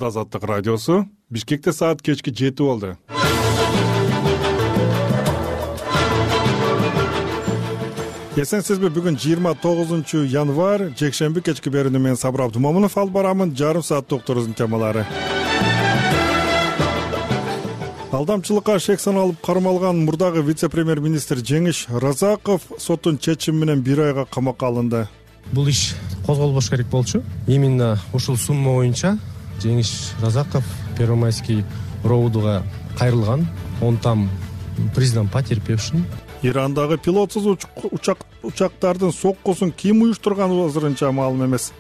Азаттык радиосу Бишкекте саат кечки 7 болду. Эсенсизби, бүгүн 29 январь, жекшемби кечки берүүнү мен Сабыр Абдумомунов алып барамын. Жарым саат докторубуздун темалары. Алдамчылыкка шек саналып кармалган мурдагы вице-премьер-министр Жеңиш Разаков соттун чечими менен 1 айга камакка алынды. Бул иш козголбош керек болчу. Именно ушул сумма боюнча Жеңиш Разаков Первомайский роудуга кайрылган. Он там признан потерпевшим. Ирандагы пилотсуз учактардын соккусун ким уюштурганы азырынча маалым эмес.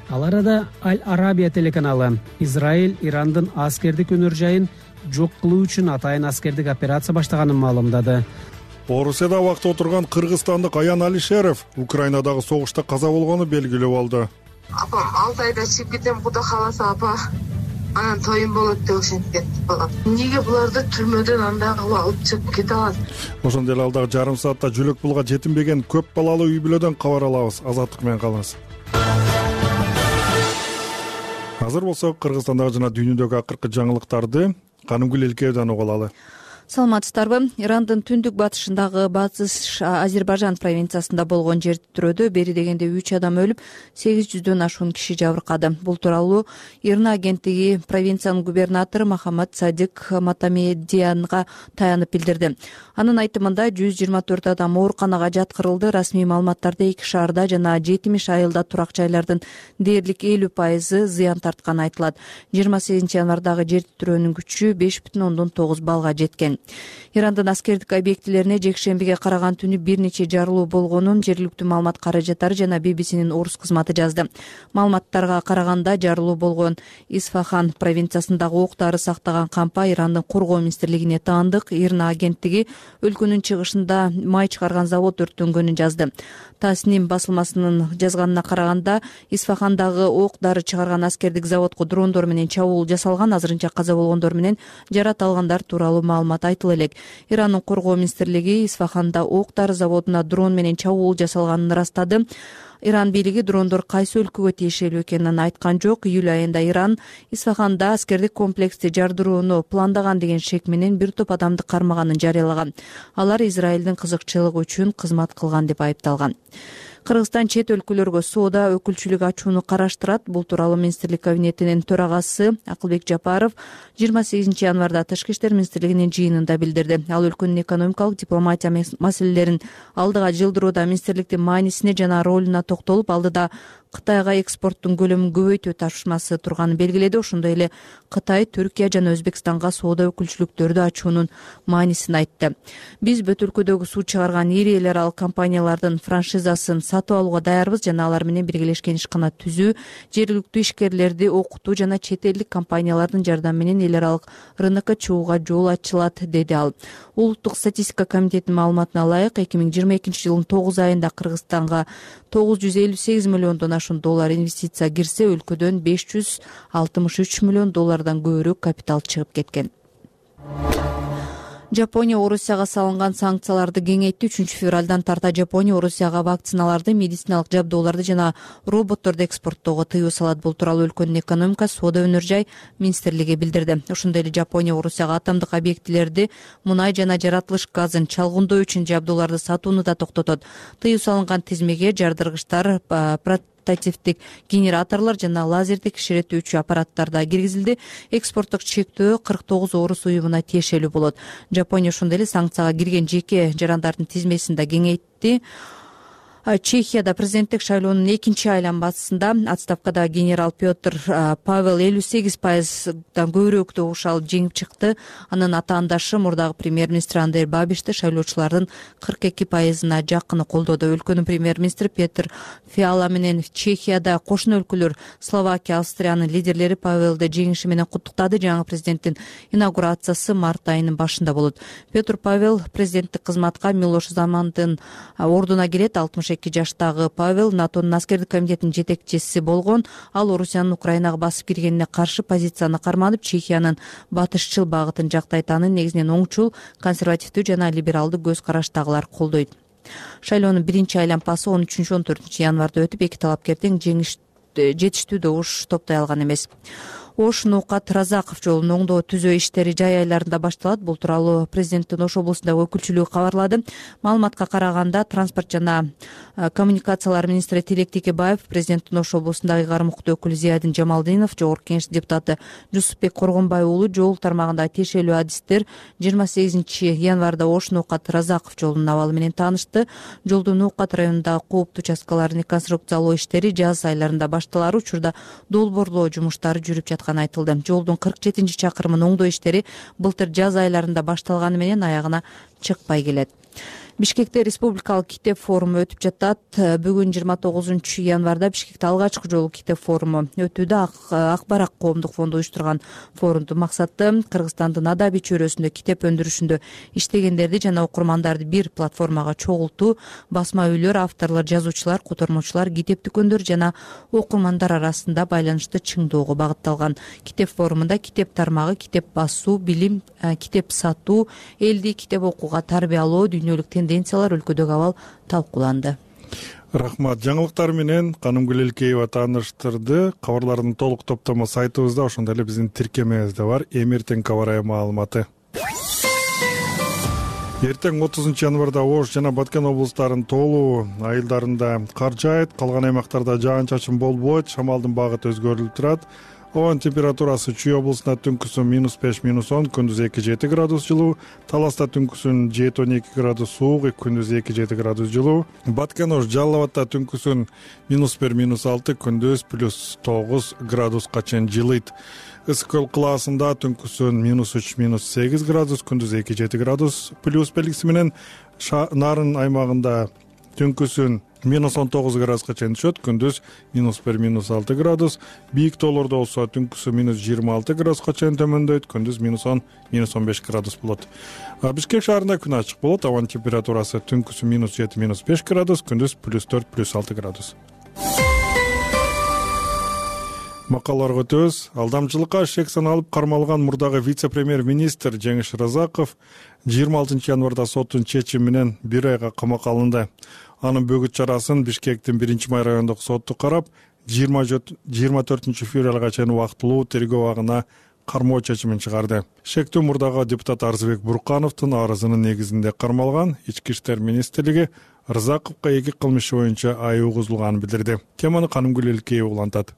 Ал арада Аль-Арабия телеканалы Израиль Ирандын аскердик өнөр жайын жок кылуу үчүн атайын аскердик операция баштаганын маалымдады. Орусияда убакта отурган кыргызстандык Аян Алишеров Украинадагы согушта каза болгону белгилүү болду. Апам 6 айда чыгып кетем, Куда кааласа апа, анан тоюм болот деп ошентип кетти балам. Эмнеге буларды түрмөдөн андагы алып чыгып кете алат? Ошондой эле алдагы жарым саатта жөлөк пулга жетинбеген көп балалуу үй бүлөдөн кабар алабыз. Азаттык менен калыңыз. Азыр болсо Кыргызстандагы жана дүйнөдөгү акыркы жаңылыктарды Канымгүл Элкеевден угуп алалы. Саламатсыздарбы? Ирандын түндүк батышындагы Батыш Азербайжан провинциясында болгон жер титирөөдө бери дегенде 3 адам өлүп, 800дөн ашуун киши жабыркады. Бул тууралуу Ирна агенттиги провинциянын губернатору Махамад Садик Матамедиянга таянып билдирди. Анын айтымында 124 адам ооруканага жаткырылды. Расмий маалыматтарда 2 шаарда жана 70 айылда турак жайлардын дээрлик 50% зыян тартканы айтылат. 28 январдагы жер титирөөнүн күчү 5,9 баллга жеткен. Ирандын аскердик объектилерине жекшембиге караган түнү бир нече жарылуу болгонун жергиликтүү маалымат каражаттары жана BBC-нин орус кызматы жазды. Маалыматтарга караганда жарылуу болгон Исфахан провинциясындагы ок-дары сактаган кампа Ирандын коргоо министрлигине таандык. Ирна агенттиги өлкөнүн чыгышында май чыгарган завод өрттөнгөнүн жазды. Тасним басылмасынын жазганына караганда Исфахандагы ок-дары чыгарган аскердик заводко дрондор менен чабуул жасалган. Азырынча каза болгондор менен жарат алгандар тууралуу маалымат айтыла элек. Ирандын коргоо министрлиги Исфаханда ок-дары заводуна дрон менен чабуул жасалганын ырастады. Иран бийлиги дрондор кайсы өлкөгө тиешелүү экенин айткан жок. Июль айында Иран Исфаханда аскердик комплексти жардырууну пландаган деген шек менен бир топ адамды кармаганын жарыялаган. Алар Израилдин кызыкчылыгы үчүн кызмат кылган деп айыпталган. Кыргызстан чет өлкөлөргө соода өкүлчүлүк ачууну караштырат. Бул тууралуу министрлик кабинетинин төрагасы Акылбек Жапаров 28 январда Тышкы иштер министрлигинин жыйынында билдирди. Ал өлкөнүн экономикалык дипломатия маселелерин алдыга жылдырууда министрликтин маанисине жана ролуна токтолуп, алдыда Кытайга экспорттун көлөмүн көбөйтүү тапшырмасы турганын белгиледи. Ошондой эле Кытай, Түркия жана Өзбекстанга соода өкүлчүлүктөрдү ачуунун маанисин айтты. Биз бүт өлкөдөгү суу чыгарган ири эл аралык компаниялардын франшизасын сатып алууга даярбыз жана алар менен биргелешкен ишкана түзүү, жергиликтүү ишкерлерди окутуу жана чет элдик компаниялардын жардамы менен эл аралык рынокко чыгууга жол ачылат, деди ал. Улуттук статистика комитетинин маалыматына ылайык, 2022 жылдын 9 айында Кыргызстанга 958 миллиондон ашуун доллар инвестиция кирсе, өлкөдөн 563 миллион доллардан көбүрөөк капитал чыгып кеткен. Жапония Орусияга салынган санкцияларды кеңейтти. 3 февралдан тарта Жапония Орусияга вакциналарды, медициналык жабдууларды жана роботторду экспорттоого тыюу салат. Бул тууралуу өлкөнүн экономика, соода өнөр жай министрлиги билдирди. Ошондой эле Жапония Орусияга атомдук объектилерди, мунай жана жаратылыш газын чалгындоо үчүн жабдууларды сатууну да токтотот. Тыюу салынган тизмеге жардыргычтар, портативдик генераторлор жана лазердик кичиретүүчү аппараттар да киргизилди. Экспорттук чектөө 49 орус уюмуна тиешелүү болот. Жапония ошондой эле санкцияга кирген жеке жарандардын тизмесин да кеңейтти. Чехияда президенттик шайлоонун 2 айланмасында отставкадагы генерал Петр Павел 58%дан көбүрөөктү угуш алып жеңип чыкты. Анын атаандашы мурдагы премьер-министр Андрей Бабишти шайлоочулардын 42%-на жакыны колдоду. Өлкөнүн премьер-министри Петр Фиала менен Чехияда кошуна өлкөлөр Словакия, Австриянын лидерлери Павелди жеңиши менен куттуктады. Жаңы президенттин инаугурациясы март айынын башында болот. Петр Павел президенттик кызматка Милош Замандын ордуна келет. 62 жаштагы Павел НАТОнун аскердик комитетинин жетекчиси болгон. Ал Орусиянын Украинага басып киргенине каршы позицияны карманып, Чехиянын батышчыл багытын жактайт. Аны негизинен оңчул, консервативдүү жана либералдуу көз караштагылар колдойт. Шайлоонун 1 айланпасы 13-14 январда өтүп, эки талапкердин жетиштүү добуш топтой алган эмес. Ош Ноокат Разаков жолун оңдоо түзөө иштери жай айларында башталат. Бул тууралуу президенттин Ош облусундагы өкүлчүлүгү кабарлады. Маалыматка караганда транспорт жана коммуникациялар министри Тилек Текебаев, президенттин Ош облусундагы ыйгарым укуктуу өкүлү Зиядин Жамалдинов, жогорку кеңеш депутаты Жусупбек Коргонбай уулу жол тармагындагы тиешелүү адистер 28 январда Ош Ноокат Разаков жолунун абалы менен таанышты. Жолдун Ноокат районундагы кооптуу участкаларын реконструкциялоо иштери жаз айларында башталар учурда долбоорлоо жумуштары жүрүп жатканы айтылды. Жолдун 47 чакырымын оңдоо иштери былтыр жаз айларында башталганы менен аягына чыкпай келет. Бишкекте республикалык китеп форуму өтүп жатат. Бүгүн 29 январда Бишкекте алгачкы жолу китеп форуму өтүүдө. Ак Барак коомдук фонду уюштурган форумдун максаты Кыргызстандын адабий чөйрөсүндө китеп өндүрүшүндө иштегендерди жана окурмандарды бир платформага чогултуу. Басма үйлөр, авторлор, жазуучулар, котормочулар, китеп дүкөндөр жана окурмандар арасында байланышты чыңдоого багытталган. Китеп форумунда китеп тармагы, китеп басуу, билим, китеп сатуу, элди китеп окууга тарбиялоо, дүйнөлүк тенденциялар, өлкөдөгү абал талкууланды. Рахмат. Жаңылыктар менен Канымгүл Элкеева тааныштырды. Кабарлардын толук топтому сайтыбызда, ошондой эле биздин тиркемебизде бар. Эмертең кабар маалыматы. Эртең 30 январда Ош жана Баткен облустарынын тоолуу айылдарында кар жаайт, калган аймактарда жаан-чачын болбойт, шамалдын багыты өзгөрүлүп турат. Оон температурасы Чүй облусунда түнкүсүн -5, -10, күндүз 2-7 градус жылуу, Таласта түнкүсүн 7-12 градус суук, күндүз 2-7 градус жылуу. Баткен Ош Жалал Абадта түнкүсүн -1, -6, күндүз +9 градуска чейин жылыйт. Ысык көл кылаасында түнкүсүн -3, -8 градус, күндүз 2-7 градус плюс белгиси менен. Нарын аймагында түнкүсүн -19 градуска чейин түшөт, күндүз -1, -6 градус. Бийик тоолордо болсо түнкүсү -26 градуска чейин төмөндөйт, күндүз -10, -15 градус болот. Бишкек шаарында күн ачык болот. Абанын температурасы түнкүсү -7, -5 градус, күндүз +4, +6 градус. Макалаларга өтөбүз. Алдамчылыкка шек саналып кармалган мурдагы вице-премьер-министр Жеңиш Разаков 26 январда соттун чечими менен 1 айга камакка алынды. Анын бөгүт чарасын Бишкектин 1-май райондук соту карап, 24 февралга чейин убактылуу тергөө абагына кармоо чечимин чыгарды. Шектүү мурдагы депутат Арзыбек Буркановдун арызынын негизинде кармалган. Ички иштер министрлиги Разаковго 2 кылмыш боюнча айып угузулганын билдирди. Теманы Канымгүл Элкеева улантат.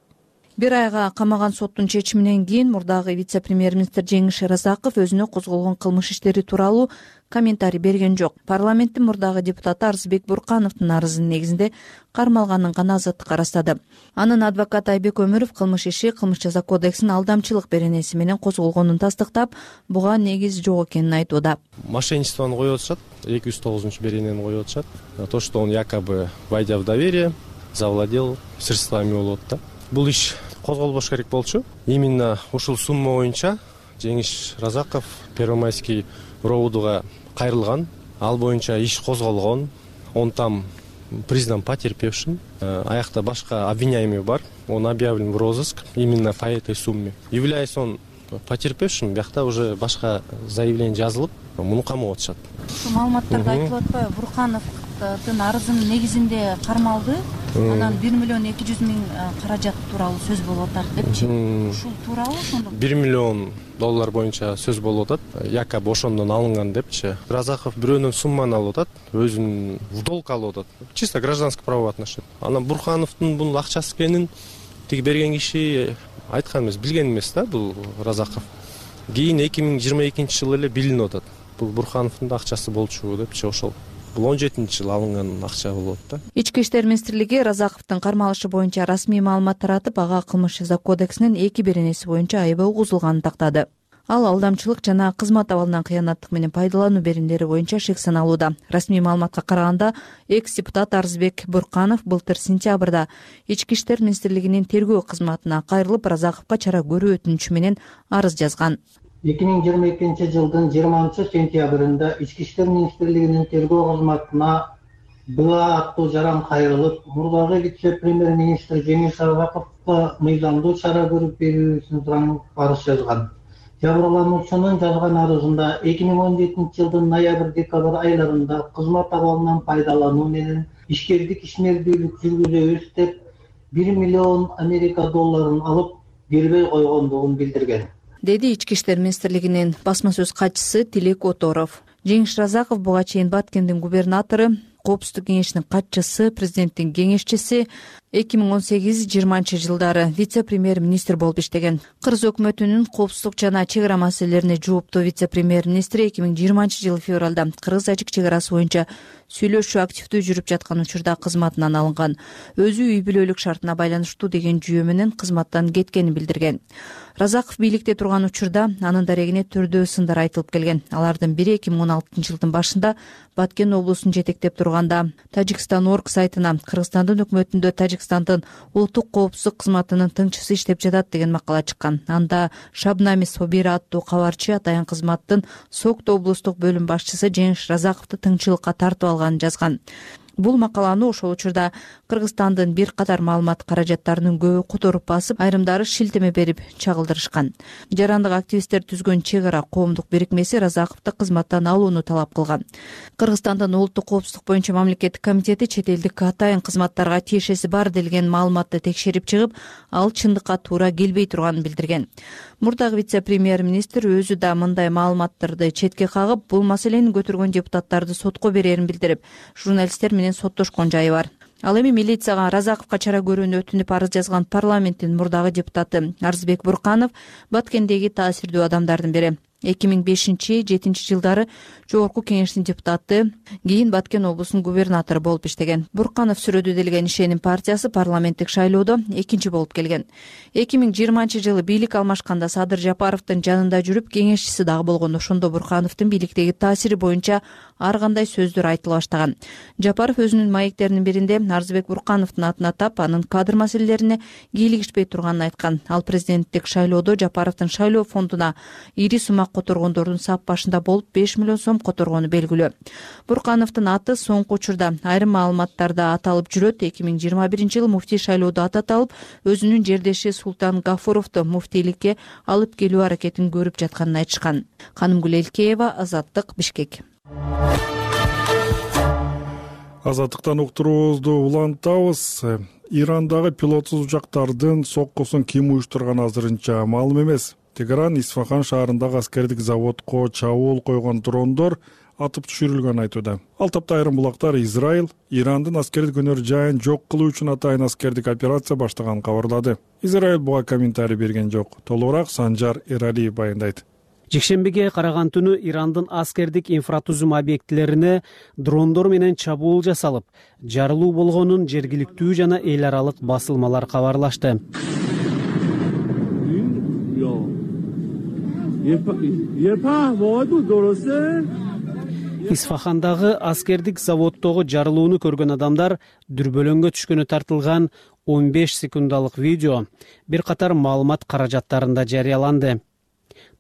1 айга камаган соттун чечиминен кийин мурдагы вице-премьер-министр Жеңиш Разаков өзүнө козголгон кылмыш иштери тууралуу комментарий берген жок. Парламенттин мурдагы депутаты Арзыбек Буркановдун арызынын негизинде кармалганын гана азаттыкка ырастады. Анын адвокаты Айбек Өмүров кылмыш иши Кылмыш жаза кодексинин алдамчылык беренеси менен козголгонун тастыктап, буга негиз жок экенин айтууда. Мошенничествону коюп атышат, 209-беренени коюп атышат. То, что он якобы, войдя в доверие, завладел средствами болот да. Бул иш козголбош керек болчу. Именно ушул сумма боюнча Жеңиш Разаков Первомайский роудуга кайрылган. Ал боюнча иш козголгон. Он там признан потерпевшим. Аякта башка обвиняемый бар. Он объявлен в розыск именно по этой сумме. Являясь он потерпевшим, биякта уже башка заявление жазылып, муну камап атышат. Ушул маалыматтарды айтып атпайбы? Буркановдун арызынын негизинде кармалды. Анан 1,2 миллион каражат тууралуу сөз болуп атат депчи. Ушул тууралуу ошондо $1 миллион боюнча сөз болуп атат. Якобы ошондон алынган депчи. Разаков бирөөнөн сумманы алып атат, өзүнүн в долг алып атат. Чисто гражданский право отношения. Анан Буркановдун бул акчасы экенин тиги берген киши айткан эмес, билген эмес да бул Разаков. Кийин 2022 жылы эле билинип атат. Бул Буркановдун акчасы болчу депчи ошол. Бул 17-жылы алынган акча болот да. Ички иштер министрлиги Разаковдун кармалышы боюнча расмий маалымат таратып, ага кылмыш жаза кодексинин 2 беренеси боюнча айыбы угузулганын тактады. Ал алдамчылык жана кызмат абалынан кыянаттык менен пайдалануу беримдери боюнча шек саналууда. Расмий маалыматка караганда, экс-депутат Арзыбек Бурканов былтыр сентябрда Ички иштер министрлигинин тергөө кызматына кайрылып, Разаковго чара көрүү өтүнүчү менен арыз жазган. 2022 жылдын 20 сентябрында Ички иштер министрлигинин тергөө кызматына БА аттуу жаран кайрылып, мурдагы вице-премьер-министр Жеңиш Разаковго мыйзамдуу чара көрүп берүүсүн сурап арыз жазган. Жабырлануучунун жазган арызында 2017 жылдын ноябрь-декабрь айларында кызмат абалынан пайдалануу менен ишкердик ишмердүүлүк жүргүзөбүз деп $1 миллион Америка долларын алып, бербей койгондугун билдирген, деди Ички иштер министрлигинин басма сөз катчысы Тилек Оторов. Жеңиш Разаков буга чейин Баткендин губернатору, Коопсуздук кеңешинин катчысы, президенттин кеңешчиси, 2018-20 жылдары вице-премьер-министр болуп иштеген. Кыргыз өкмөтүнүн коопсуздук жана чек ара маселелерине жооптуу вице-премьер-министри 2020 жылы февралда кыргыз-тажик чек арасы боюнча сүйлөшүү активдүү жүрүп жаткан учурда кызматынан алынган. Өзү үй бүлөлүк шартына байланыштуу деген жүйө менен кызматтан кеткенин билдирген. Разаков бийликте турган учурда анын дарегине түрдүү сындар айтылып келген. Алардын бири 2016 жылдын башында Баткен облусун жетектеп турганда Тажикстан.org сайтына Кыргызстандын өкмөтүндө Тажикстандын улуттук коопсуздук кызматынын тыңчысы иштеп жатат деген макала чыккан. Анда Шабнами Собира аттуу кабарчы атайын кызматтын Сокто облустук бөлүм башчысы Жеңиш Разаковду тыңчылыкка тартып алганын жазган. Бул макаланы ошол учурда Кыргызстандын бир катар маалымат каражаттарынын көбү которуп басып, айрымдары шилтеме берип чагылдырышкан. Жарандык активисттер түзгөн чек ара коомдук бирикмеси Разаковду кызматтан алууну талап кылган. Кыргызстандын улуттук коопсуздук боюнча мамлекеттик комитети чет элдик атайын кызматтарга тиешеси бар делген маалыматты текшерип чыгып, ал чындыкка туура келбей турганын билдирген. Мурдагы вице-премьер-министр өзү да мындай маалыматтарды четке кагып, бул маселени көтөргөн депутаттарды сотко берерин билдирип, журналисттер менен соттошкон жайы бар. Ал эми милицияга Разаковго чара көрүүнү өтүнүп арыз жазган парламенттин мурдагы депутаты Арзбек Бурканов Баткендеги таасирдүү адамдардын бири. 2005-2007 жылдары Жогорку кеңештин депутаты, кийин Баткен облусунун губернатору болуп иштеген. Бурканов сүрөдү делген ишеним партиясы парламенттик шайлоодо экинчи болуп келген. 2020 жылы бийлик алмашканда Садыр Жапаровдун жанында жүрүп, кеңешчиси дагы болгон. Ошондо Буркановдун бийликтеги таасири боюнча ар кандай сөздөр айтыла баштаган. Жапаров өзүнүн маектеринин биринде Арзбек Буркановдун атын атап, анын кадр маселелерине кийлигишпей турганын айткан. Ал президенттик шайлоодо Жапаровдун шайлоо фондуна ири сумак которгондордун сап башында болуп 5 миллион сом которгону белгилүү. Буркановдун аты соңку учурда айрым маалыматтарда аталып жүрөт. 2021 жылы муфтий шайлоодо аты аталып, өзүнүн жердеши Султан Гафуровду муфтийликке алып келүү аракетин көрүп жатканын айтышкан. Канымгүл Элкеева, Азаттык, Бишкек. Азаттыктан уктуруубузду улантабыз. Ирандагы пилотсуз учактардын соккусун ким уюштурганы азырынча маалым эмес. Тегеран Исфахан шаарындагы аскердик заводко чабуул койгон дрондор атып түшүрүлгөнүн айтууда. Ал тапта айрым булактар Израиль Ирандын аскердик өнөр жайын жок кылуу үчүн атайын аскердик операция баштаганын кабарлады. Израиль буга комментарий берген жок. Толугураак Санжар Эралиев баяндайт. Жекшембиге караган түнү Ирандын аскердик инфратузум объектилерине дрондор менен чабуул жасалып, жарылуу болгонун жергиликтүү жана эл аралык басылмалар кабарлашты. Исфахандагы аскердик заводдогу жарылууну көргөн адамдар дүрбөлөңгө түшкөнү тартылган 15 секундалык видео бир катар маалымат каражаттарында жарыяланды.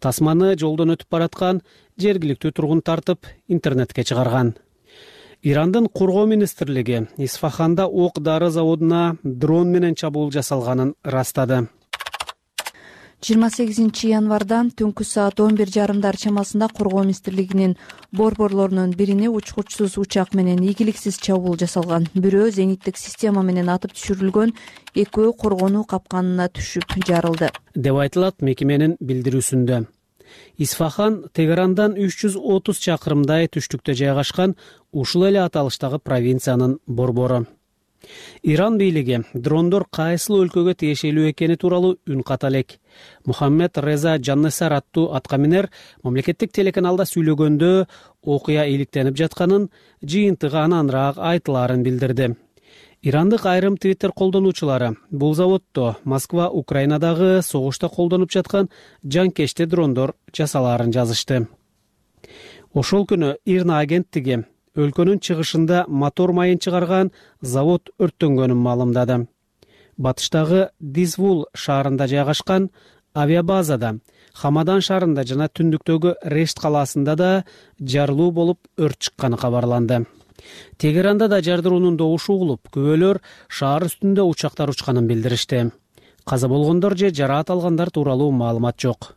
Тасманы жолдон өтүп бараткан жергиликтүү тургун тартып интернетке чыгарган. Ирандын коргоо министрлиги Исфаханда ок-дары заводуна дрон менен чабуул жасалганын ырастады. 28 январда түнкү саат 11:30 чамасында коргоо министрлигинин борборлорунун бирине учкучсуз учак менен ийгиликсиз чабуул жасалган. Бирөө зениттик система менен атып түшүрүлгөн, экөө коргонуу капканына түшүп жарылды, деп айтылат мекеменин билдирүүсүндө. Исфахан Тегерандан 330 чакырымдай түштүктө жайгашкан ушул эле аталыштагы провинциянын борбору. Иран бийлиги дрондор кайсыл өлкөгө тиешелүү экени тууралуу үн ката элек. Мухаммед Реза Жаннесар аттуу аткаминер мамлекеттик телеканалда сүйлөгөндө окуя иликтенип жатканын, жыйынтыгы ананраак айтылаарын билдирди. Ирандык айрым Twitter колдонуучулары бул заводдо Москва Украинадагы согушта колдонуп жаткан жанкечти дрондор жасалаарын жазышты. Ошол күнү Ирна агенттиги өлкөнүн чыгышында мотор майын чыгарган завод өрттөнгөнүн маалымдады. Батыштагы Дизвул шаарында жайгашкан авиабазада, Хамадан шаарында жана түндүктөгү Решт калаасында да жарылуу болуп өрт чыкканы кабарланды. Тегеранда да жардыруунун добушу угулуп, күбөлөр шаар үстүндө учактар учканын билдиришти. Каза болгондор же жараат алгандар тууралуу маалымат жок.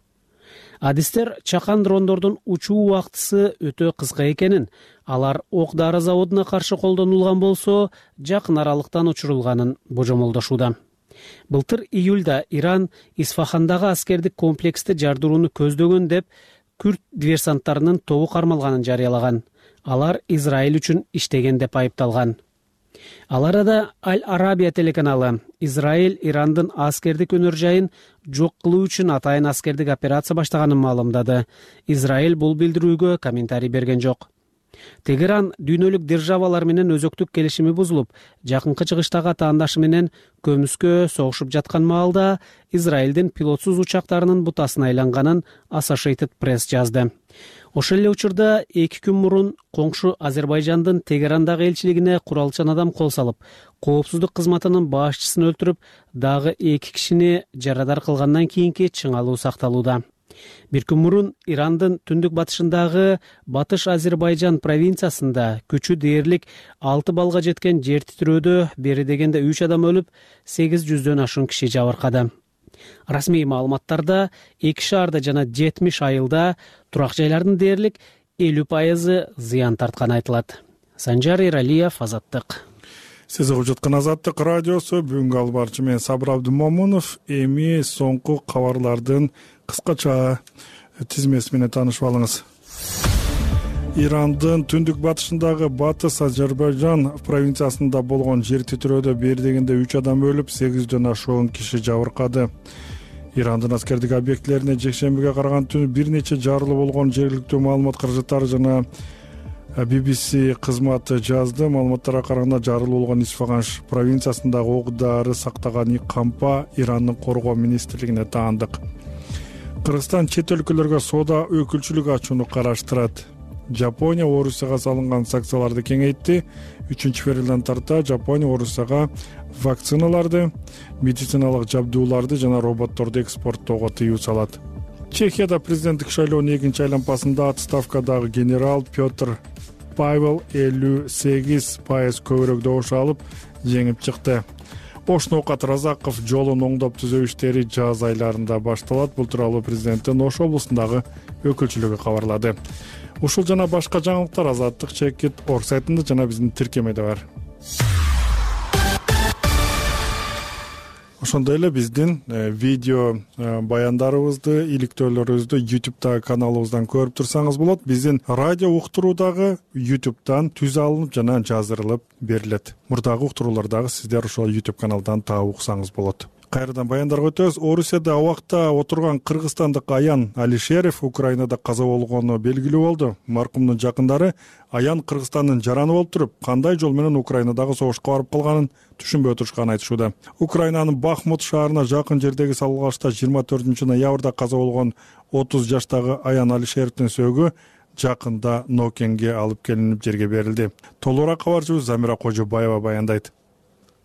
Адистер чакан дрондордун учуу убактысы өтө кыска экенин, алар ок-дары заводуна каршы колдонулган болсо, жакын аралыктан учурулганын божомолдошууда. Былтыр июлда Иран Исфахандагы аскердик комплексти жардырууну көздөгөн деп күрд диверсанттарынын тобу кармалганын жарыялаган. Алар Израиль үчүн иштеген деп айыпталган. Ал арада Аль-Арабия телеканалы Израиль Ирандын аскердик өнөр жайын жок кылуу үчүн атайын аскердик операция баштаганын маалымдады. Израиль бул билдирүүгө комментарий берген жок. Тегеран дүйнөлүк державалар менен өзөктүк келишими бузулуп, жакынкы чыгыштагы атаандашы менен көмүскө согушуп жаткан маалда Израилдин пилотсуз учактарынын бутасына айланганын Associated Press жазды. Ошол эле учурда 2 күн мурун коңшу Азербайжандын Тегерандагы элчилигине куралчан адам кол салып, коопсуздук кызматынын башчысын өлтүрүп, дагы 2 кишини жарадар кылгандан кийинки чыңалуу сакталууда. 1 күн мурун Ирандын түндүк батышындагы Батыш Азербайжан провинциясында күчү дээрлик 6 балга жеткен жер титирөөдө бери дегенде 3 адам өлүп, 800дөн ашуун киши жабыркады. Расмий маалыматтарда 2 шаарда жана 70 айылда турак жайлардын дээрлик 50% зыян тартканы айтылат. Санжар Эралиев, Азаттык. Сиз угуп жаткан Азаттык радиосу. Бүгүнкү албарчы мен Сабыр Абдымомунов. Эми соңку кабарлардын кыскача тизмеси менен таанышып алыңыз. Ирандын түндүк батышындагы Батыс Азербайжан провинциясында болгон жер титирөөдө бери дегенде 3 адам өлүп, 800дөн ашуун киши жабыркады. Ирандын аскердик объектилерине жекшембиге караган түнү бир нече жарылуу болгон жергиликтүү маалымат каражаттары жана BBC кызматы жазды. Маалыматтарга караганда жарылуу болгон Исфахан провинциясындагы ок-дары сактаган кампа Ирандын коргоо министрлигине таандык. Кыргызстан чет өлкөлөргө соода өкүлчүлүк ачууну караштырат. Жапония Орусияга салынган санкцияларды кеңейтти. 3-февралдан тарта Жапония Орусияга вакциналарды, медициналык жабдууларды жана роботторду экспорттоого тыюу салат. Чехияда президенттик шайлоонун 2-чи айланпасында отставкадагы генерал Петр Павел 58% көбүрөөк добуш алып жеңип чыкты. Ошноокат Разаков жолун оңдоп түзөө иштери жаз айларында башталат. Бул тууралуу президенттин Ош облусундагы өкүлчүлүгү кабарлады. Ушул жана башка жаңылыктар Азаттык Чекит орг сайтында жана биздин тиркемеде бар. Ошондой эле биздин видео баяндарыбызды, иликтөөлөрүбүздү YouTube'дагы каналыбыздан көрүп турсаңыз болот. Биздин радио уктуруу дагы YouTube'дан түз алынып жана жаздырылып берилет. Мурдагы уктуруулар дагы сиздер ошол YouTube каналдан таап уксаңыз болот. Кайрадан баяндарга өтөбүз. Орусияда абакта отурган кыргызстандык Аян Алишеров Украинада каза болгону белгилүү болду. Маркумдун жакындары Аян Кыргызстандын жараны болуп туруп, кандай жол менен Украинадагы согушка барып калганын түшүнбөй отурушканын айтышууда. Украинанын Бахмут шаарына жакын жердеги салгылашта 24 ноябрда каза болгон 30 жаштагы Аян Алишеровдун сөөгү жакында Нокенге алып келинип жерге берилди. Толугураак кабарчыбыз Замира Кожобаева баяндайт.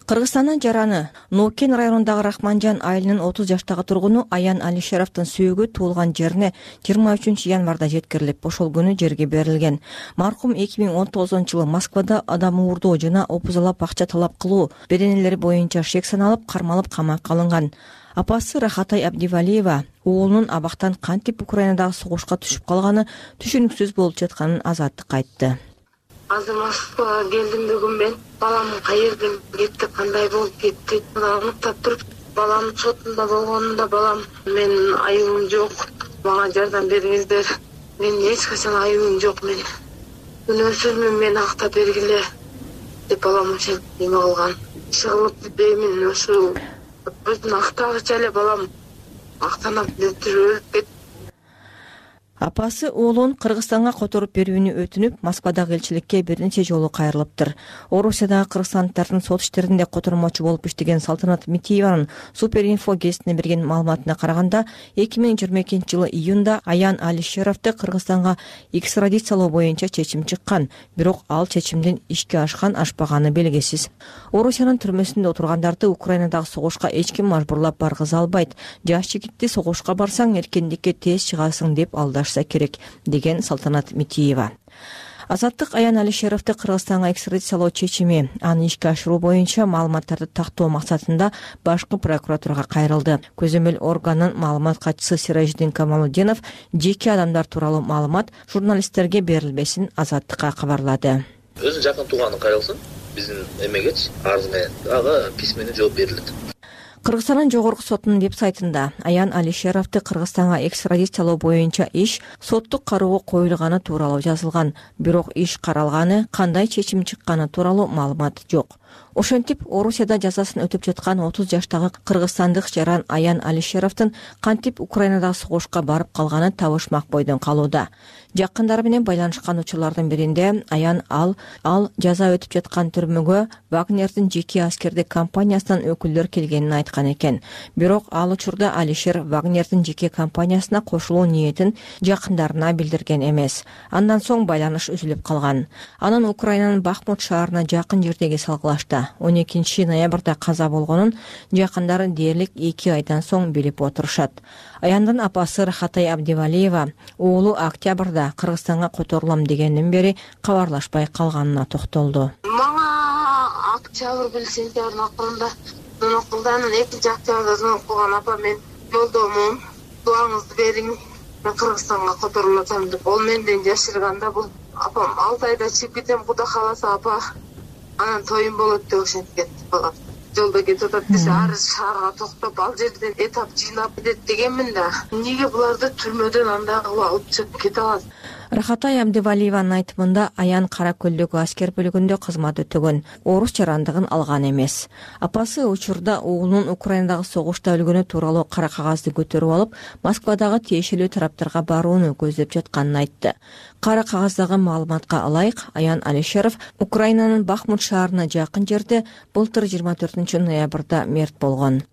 Кыргызстандын жараны Нокен районундагы Рахманжан айылынын 30 жаштагы тургуну Аян Алишеровдун сөөгү туулган жерине 23 январда жеткирилип, ошол күнү жерге берилген. Маркум 2019-жылы Москвада адам уурдоо жана опузалап акча талап кылуу беренелери боюнча шек саналып, кармалып камакка алынган. Апасы Рахатай Абдивалиева уулунун абактан кантип Украинадагы согушка түшүп калганы түшүнүксүз болуп жатканын Азаттыкка айтты. Азыр Москвага келдим бүгүн мен. Балам каерден кетти, кандай болуп кетти, аныктап туруп, балам сотунда болгонунда балам менин айыбым жок, мага жардам бериңиздер. Менин эч качан айыбым жок, мен күнөөсүзмүн, мени актап бергиле деп балам ошентип неме кылган. Чыгылып деймин, ошо өзүн актагыча эле балам актанып өлүп кетти. Апасы уулун Кыргызстанга которуп берүүнү өтүнүп, Москвадагы элчиликке бир нече жолу кайрылыптыр. Орусиядагы кыргызстандыктардын сот иштеринде котормочу болуп иштеген Салтанат Митиеванын Суперинфо гезитине берген маалыматына караганда, 2022-жылы июнда Аян Алишеровду Кыргызстанга экстрадициялоо боюнча чечим чыккан, бирок ал чечимдин ишке ашкан ашпаганы белгисиз. Орусиянын түрмөсүндө отургандарды Украинадагы согушка эч ким мажбурлап баргыза албайт. Жаш жигитти согушка барсаң эркиндикке тез чыгасың деп алдаш керек, деген Салтанат Митиева. Азаттык Аян Алишеровду Кыргызстанга экстрадициялоо чечими аны ишке ашыруу боюнча маалыматтарды тактоо максатында башкы прокуратурага кайрылды. Көзөмөл органынын маалымат катчысы Сиражидин Камалудинов жеке адамдар тууралуу маалымат журналисттерге берилбесин Азаттыкка кабарлады. Өзү жакын тууганы кайрылсын, биздин эмегечи арыз менен ага письменный жооп берилет. Кыргызстандын жогорку сотунун веб-сайтында Аян Алишеровду Кыргызстанга экстрадициялоо боюнча иш соттук кароого коюлганы тууралуу жазылган. Бирок иш каралганы, кандай чечим чыкканы тууралуу маалымат жок. Ошентип, Орусияда жазасын өтүп жаткан 30 жаштагы кыргызстандык жаран Аян Алишеровдун кантип Украинадагы согушка барып калганы табышмак бойдон калууда. Жакындары менен байланышкан учурлардын биринде Аян ал жаза өтүп жаткан түрмөгө Вагнердин жеке аскердик компаниясынан өкүлдөр келгенин айткан экен. Бирок ал учурда Алишер Вагнердин жеке компаниясына кошулуу ниетин жакындарына билдирген эмес. Андан соң байланыш үзүлүп калган. Анан Украинанын Бахмут шаарына жакын жердеги салгылашта 12 ноябрда каза болгонун жакындары дээрлик 2 айдан соң билип отурушат. Аяндын апасы Рахатай Абдивалиева уулу октябрда Кыргызстанга которулам дегенден бери кабарлашпай калганына токтолду. Мага октябрь сентябрдын акырында звонок кылды. Анан 2 октябрда звонок кылган: апа, мен жолдомун, дуаңызды бериң, мен Кыргызстанга которулуп атам деп. Ол менден жашырганда бул апам 6 айда чыгып кетем, Кудай кааласа апа, анан тоюм болот деп ошентип кетти балам. Жолдо кетип атат десе, ар шаарга токтоп, ал жерден этап жыйнап кетет дегенмин да. Эмнеге буларды түрмөдөн андай кылып алып чыгып кете алат? Рахатай Абдивалиеванын айтымында Аян Кара көлдөгү аскер бөлүгүндө кызмат өтөгөн, орус жарандыгын алган эмес. Апасы учурда уулунун Украинадагы согушта өлгөнү тууралуу кара кагазды көтөрүп алып, Москвадагы тиешелүү тараптарга барууну көздөп жатканын айтты. Кара кагаздагы маалыматка ылайык, Аян Алишеров Украинанын Бахмут шаарына жакын жерде былтыр 24 ноябрда мерт болгон.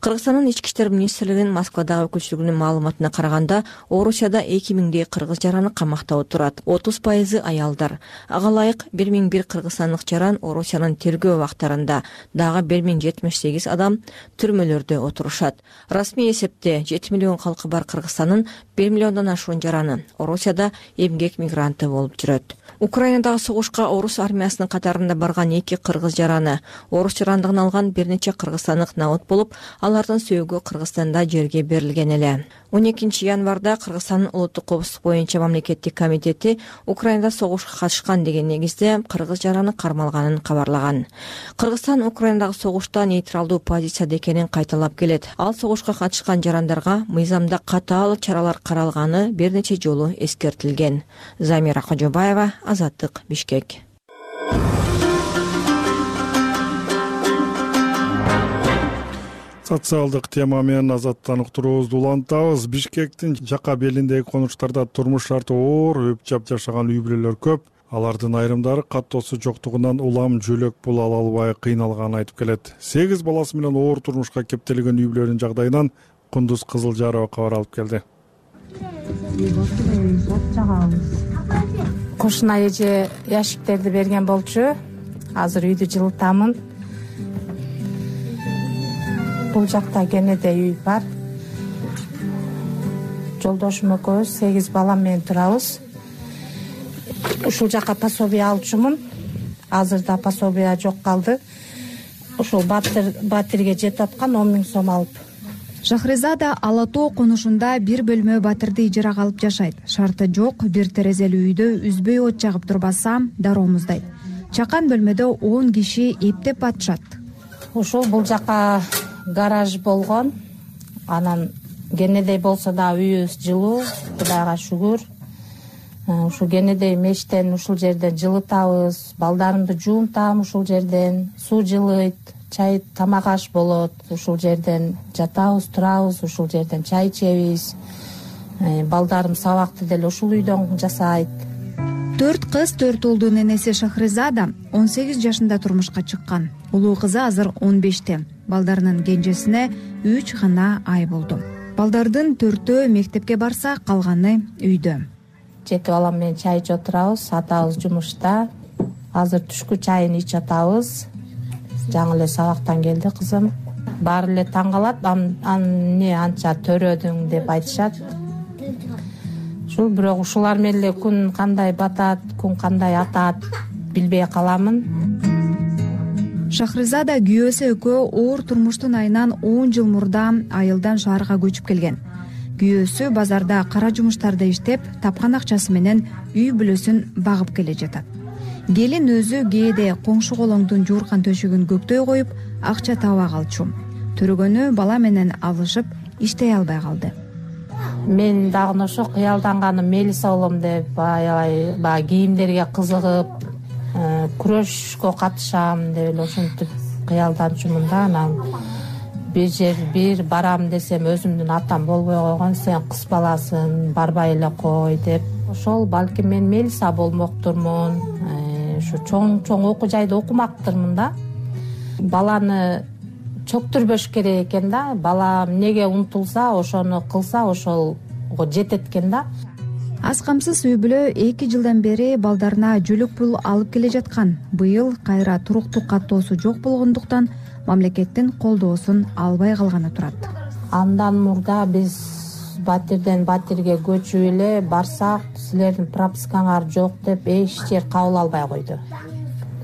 Кыргызстандын ички иштер министрлигинин Москвадагы өкүлчүлүгүнүн маалыматына караганда, Орусияда 2000 кыргыз жараны камакта отурат. 30% аялдар. Ага ылайык 1001 кыргызстандык жаран Орусиянын тергөө убактарында, дагы 1078 адам түрмөлөрдө отурушат. Расмий эсепте 7 миллион калкы бар Кыргызстандын 1 миллиондон ашуун жараны Орусияда эмгек мигранты болуп жүрөт. Украинадагы согушка орус армиясынын катарында барган 2 кыргыз жараны орус жарандыгын алган бир нече кыргызстандык наут болуп, алардын сөөгү Кыргызстанда жерге берилген эле. 12 январда Кыргызстандын улуттук коопсуздук боюнча мамлекеттик комитети Украинада согушка катышкан деген негизде кыргыз жараны кармалганын кабарлаган. Кыргызстан Украинадагы согушта нейтралдуу позицияда экенин кайталап келет. Ал согушка катышкан жарандарга мыйзамда катаал чаралар каралганы бир нече жолу эскертилген. Замира Кожобаева, Азаттык, Бишкек. Социалдык тема менен Азаттан уктуруубузду улантабыз. Бишкектин жака белиндеги конуштарда турмуш шарты оор, өп-жап жашаган үй бүлөлөр көп. Алардын айрымдары каттоосу жоктугунан улам жөлөк пул ала албай кыйналганын айтып келет. 8 баласы менен оор турмушка кептелген үй бүлөнүн жагдайынан Кундуз Кызылжарова кабар алып келди. Кошуна эже яшиктерди берген болчу. Азыр үйдү жылытамын. Бул жакта кенеде үй бар. Жолдошум экөөбүз 8 балам менен турабыз. Ушул жака пособие алчумун. Азырда пособие жок калды. Ушул батирге жетип аткан 10 000 сом алып. Шахризада Ала Тоо конушунда бир бөлмө батирди ижарага алып жашайт. Шарты жок, бир терезелүү үйдө үзбөй от жагып турбаса дароо муздайт. Чакан бөлмөдө 10 киши эптеп атышат. Ушул бул жака гараж болгон. Анан кенедей болсо да үйүбүз жылуу, Кудайга шүгүр. Ушул кенедей мештен ушул жерден жылытабыз, балдарымды жуунтам ушул жерден, суу жылыйт, чай тамак аш болот, ушул жерден жатабыз, турабыз, ушул жерден чай ичебиз. Балдарым сабакты деле ушул үйдөн жасайт. 4 кыз 4 уулдун энеси Шахризада 18 жашында турмушка чыккан. Улуу кызы азыр 15те. Балдарынын кенжесине 3 гана ай болду. Балдардын 4төө мектепке барса, калганы үйдө. 7 балам менен чай ичип отурабыз, атабыз жумушта. Азыр түшкү чайын ичип атабыз. Жаңы эле сабактан келди кызым. Баары эле таң калат, эмне анча төрөдүң деп айтышат. Бирок ушулар менен эле күн кандай батат, күн кандай атат билбей каламын. Шахризада күйөөсү экөө оор турмуштун айынан 10 жыл мурда айылдан шаарга көчүп келген. Күйөөсү базарда кара жумуштарда иштеп, тапкан акчасы менен үй бүлөсүн багып келе жатат. Келин өзү кээде коңшу колоңдун жууркан төшөгүн көктөй коюп, акча таба калчу. төрөгөнү бала менен алышып иштей албай калды. Мен дагы ошо кыялданганым мелиса болом деп баягы кийимдерге кызыгып, күрөшкө катышам деп эле ошентип кыялданчумун да. Анан бир барам десем өзүмдүн атам болбой койгон, сен кыз баласың, барбай эле кой деп. Ошол балким мен мелиса болмоктурмун, ушу чоң окуу жайда окумактырмын да. Баланы чөктүрбөш керек экен да. Бала эмнеге умтулса, ошону кылса ошолго жетет экен да. Аз камсыз үй бүлө 2 жылдан бери балдарына жөлөк пул алып келе жаткан. Быйыл кайра туруктуу каттоосу жок болгондуктан мамлекеттин колдоосун албай калганы турат. Андан мурда биз батирден батирге көчүп эле барсак, силердин пропискаңар жок деп эч жер кабыл албай койду.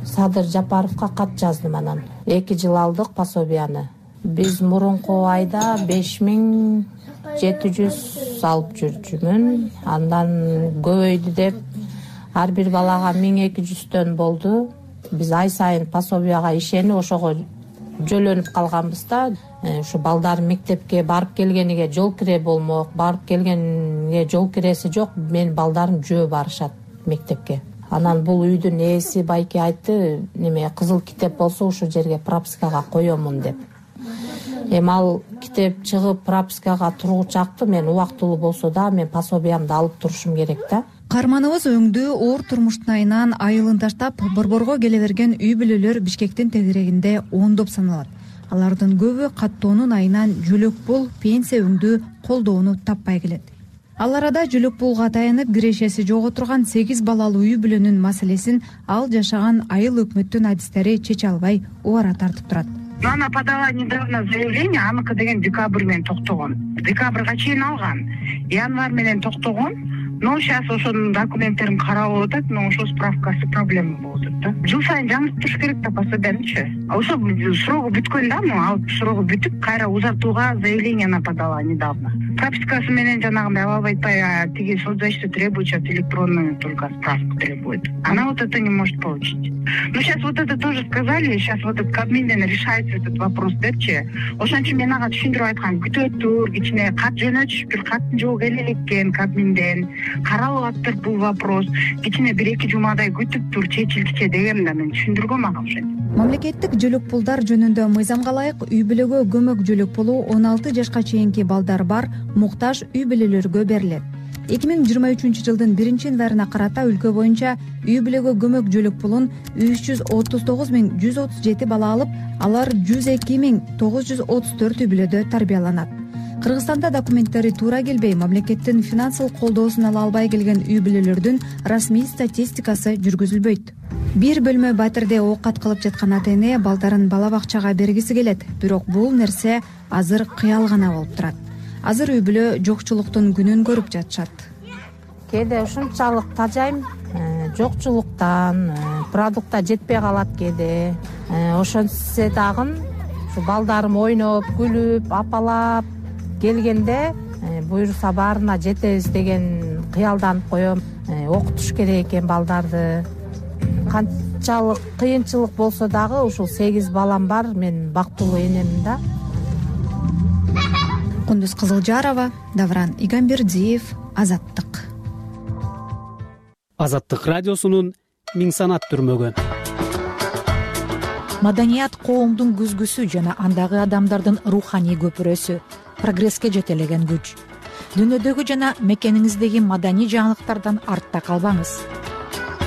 Садыр Жапаровго кат жаздым анан. 2 жыл алдык пособияны. Биз мурунку айда 5700 алып жүрчүмүн. Андан көбөйдү деп ар бир балага 1200төн болду. Биз ай сайын пособияга ишенип ошого жөлөнүп калганбыз да. Ушу балдар мектепке барып келгениге жол кире болмок, барып келгенге жол киреси жок. Мен балдарым жөө барышат мектепке. Анан бул үйдүн ээси байке айтты, неме кызыл китеп болсо ушул жерге пропискага коёмун деп. Эми ал китеп чыгып пропискага тургучакты мен убактылуу болсо да мен пособиямды алып турушум керек да. Каарманыбыз өңдүү оор турмуштун айынан айылын таштап Борборго келе берген үй бүлөлөр Бишкектин тегерегинде ондоп саналат. Алардын көбү каттоонун айынан жөлөк пул, пенсия өңдүү колдоону таппай келет. Ал арада жөлөк пулга таянып кирешеси жок отурган 8 балалуу үй бүлөнүн маселесин ал жашаган айыл өкмөттүн адистери чече албай убара тартып турат. Она подала недавно заявление, аныкы деген декабрь менен токтогон. Декабрга чейин алган. Январь менен токтогон. Но сейчас ошонун документтерин карап атат, но ошо справкасы проблема болуп атат да. Жыл сайын жаңыртыш керек да пособиянычы. Ошо срогу бүткөн да, ал срогу бүтүп, кайра узартууга заявление она подала недавно. Пропискасы менен жанагындай алып айтпай, тиги соцзащита требует, сейчас электронную только справку требует. Она вот это не может получить. Но сейчас вот это тоже сказали, сейчас вот этот Кабминден решается этот вопрос депчи. Ошон үчүн мен ага түшүндүрүп айткам, күтүп тур, кичине кат жөнөтүшүп, бир каттын жолу келе элеккен Кабминден. Каралып аттыр бул вопрос. Кичине 1-2 жумадай күтүп тур, чечилчи дегем да мен түшүндүргөм ага ошентип. Мамлекеттик жөлөк пулдар жөнүндө мыйзамга ылайык үй бүлөгө көмөк жөлөк пулу 16 жашка чейинки балдар бар муктаж үй бүлөлөргө берилет. 2023-жылдын 1-январына карата өлкө боюнча үй бүлөгө көмөк жөлөк пулун 339.137 бала алып, алар 102.934 үй бүлөдө тарбияланат. Кыргызстанда документтери туура келбей, мамлекеттин финансылык колдоосун ала албай келген үй бүлөлөрдүн расмий статистикасы жүргүзүлбөйт. Бир бөлмө батирде оокат кылып жаткан ата-эне балдарын бала бакчага бергиси келет, бирок бул нерсе азыр кыял гана болуп турат. Азыр үй бүлө жокчулуктун күнүн көрүп жатышат. Кээде ушунчалык тажайм, жокчулуктан, продукта жетпей калат кээде. Ошентсе дагы ушу балдарым ойноп, күлүп, апалап келгенде буюрса баарына жетебиз деген кыялданып коем. Окутуш керек экен балдарды. Канчалык кыйынчылык болсо дагы ушул 8 балам бар, мен бактылуу энемин да. Кундуз Кызылжарова, Давран Игамбердиев, Азаттык. Азаттык радиосунун Миң санат түрмөгү. Маданият коомдун күзгүсү жана андагы адамдардын руханий көпүрөсү, прогресске жетелеген күч. Дүйнөдөгү жана мекениңиздеги маданий жаңылыктардан артта калбаңыз.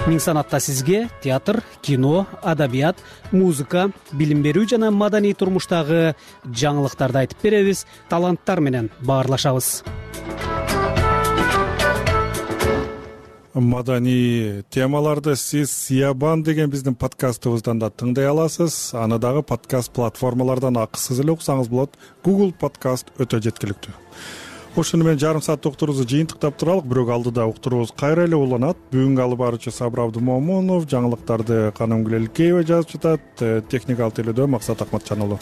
Миң санатта сизге театр, кино, адабият, музыка, билим берүү жана маданий турмуштагы жаңылыктарды айтып беребиз, таланттар менен баарлашабыз. Маданий темаларды сиз Сиябан деген биздин подкастыбыздан да тыңдай аласыз. Аны дагы подкаст платформалардан акысыз эле уксаңыз болот. Google подкаст өтө жеткиликтүү. Ошону менен жарым сааттык уктуруубузду жыйынтыктап туралык, бирок алдыда уктуруубуз кайра эле уланат. Бүгүнкү алып баруучу Сабыр Абдымомунов, жаңылыктарды Канымгүл Элкеева жазып жатат, техникалык тейлөөдө Максат Акматжан уулу.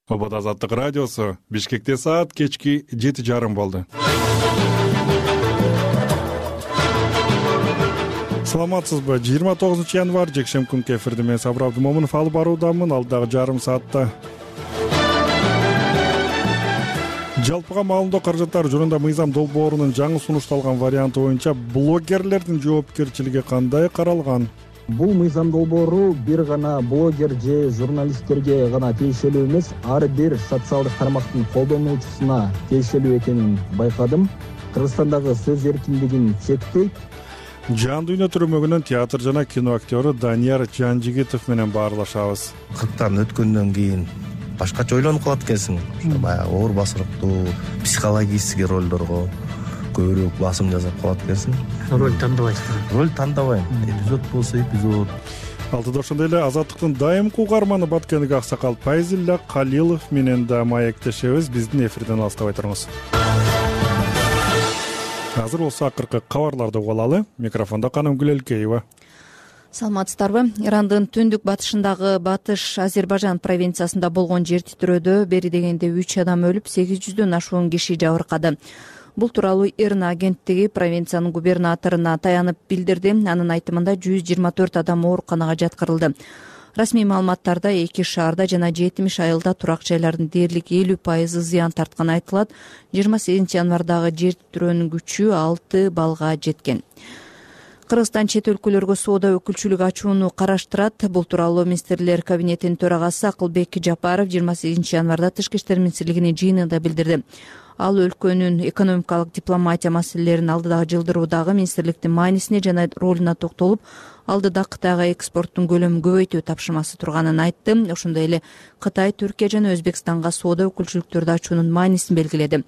Обод Азаттык радиосу. Бишкекте саат кечки 7:30 болду. Саламатсызбы? 29 январь жекшемби күнкү эфирде мен Сабыр Абдымомунов алып баруудамын. Алдагы жарым саатта жалпыга маалымдоо каражаттары жөнүндө мыйзам долбоорунун жаңы сунушталган варианты боюнча блогерлердин жоопкерчилиги кандай каралган? Бул мыйзам долбоору бир гана блогер же журналисттерге гана тиешелүү эмес, ар бир социалдык тармактын колдонуучусуна тиешелүү экенин байкадым. Кыргызстандагы сөз эркиндигин чектейт. Жан дүйнө түрмөгүнөн театр жана кино актёру Данияр Жанжигитов менен баарлашабыз. 40 өткөндөн кийин башкача ойлонуп калат экенсиң. Баягы оор басырыктуу психологический ролдорго көбүрөөк басым жасап калат экенсиң. Роль тандабайсың. Роль тандабайм. Эпизод болсо эпизод. Алтыда ошондой эле Азаттыктын дайымкы угарманы Баткендик Аксакал Пайзилля Калилов менен да маектешебиз. Биздин эфирден алыстабай туруңуз. Азыр болсо акыркы кабарларды угуп алалы. Микрофондо Каным Гүлелкеева. Саламатсыздарбы? Ирандын түндүк батышындагы Батыш Азербайжан провинциясында болгон жер титирөөдө бери дегенде 3 адам өлүп, 800дөн ашуун киши жабыркады. Бул тууралуу ИРНА агенттиги провинциянын губернаторуна таянып билдирди. Анын айтымында 124 адам ооруканага жаткырылды. Расмий маалыматтарда 2 шаарда жана 70 айылда турак жайлардын дээрлик 50% зыян тартканы айтылат. 28 январдагы жер титирөөнүн күчү 6 баллга жеткен. Кыргызстан чет өлкөлөргө соода өкүлчүлүк ачууну караштырат. Бул тууралуу министрлер кабинетинин төрагасы Акылбек Жапаров 28 январда Тышкы иштер министрлигинин жыйынында билдирди. Ал өлкөнүн экономикалык дипломатия маселелерин алдыдагы жылдыруудагы министрликтин маанисине жана ролуна токтолуп, алдыда Кытайга экспорттун көлөмүн көбөйтүү тапшырмасы турганын айтты. Ошондой эле Кытай, Түркия жана Өзбекстанга соода өкүлчүлүктөрдү ачуунун маанисин белгиледи.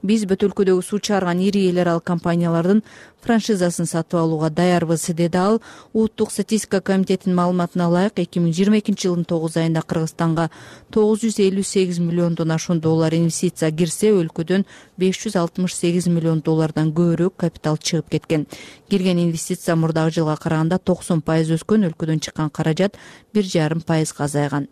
Биз бүт өлкөдөгү суу чыгарган ири эл аралык компаниялардын франшизасын сатып алууга даярбыз, деди ал. Улуттук статистика комитетинин маалыматына ылайык, 2022 жылдын 9 айында Кыргызстанга 958 миллиондон ашуун доллар инвестиция кирсе, өлкөдөн 568 миллион доллардан көбүрөөк капитал чыгып кеткен. Кирген инвестиция мурдагы жылга караганда 90% өскөн, өлкөдөн чыккан каражат 1,5% азайган.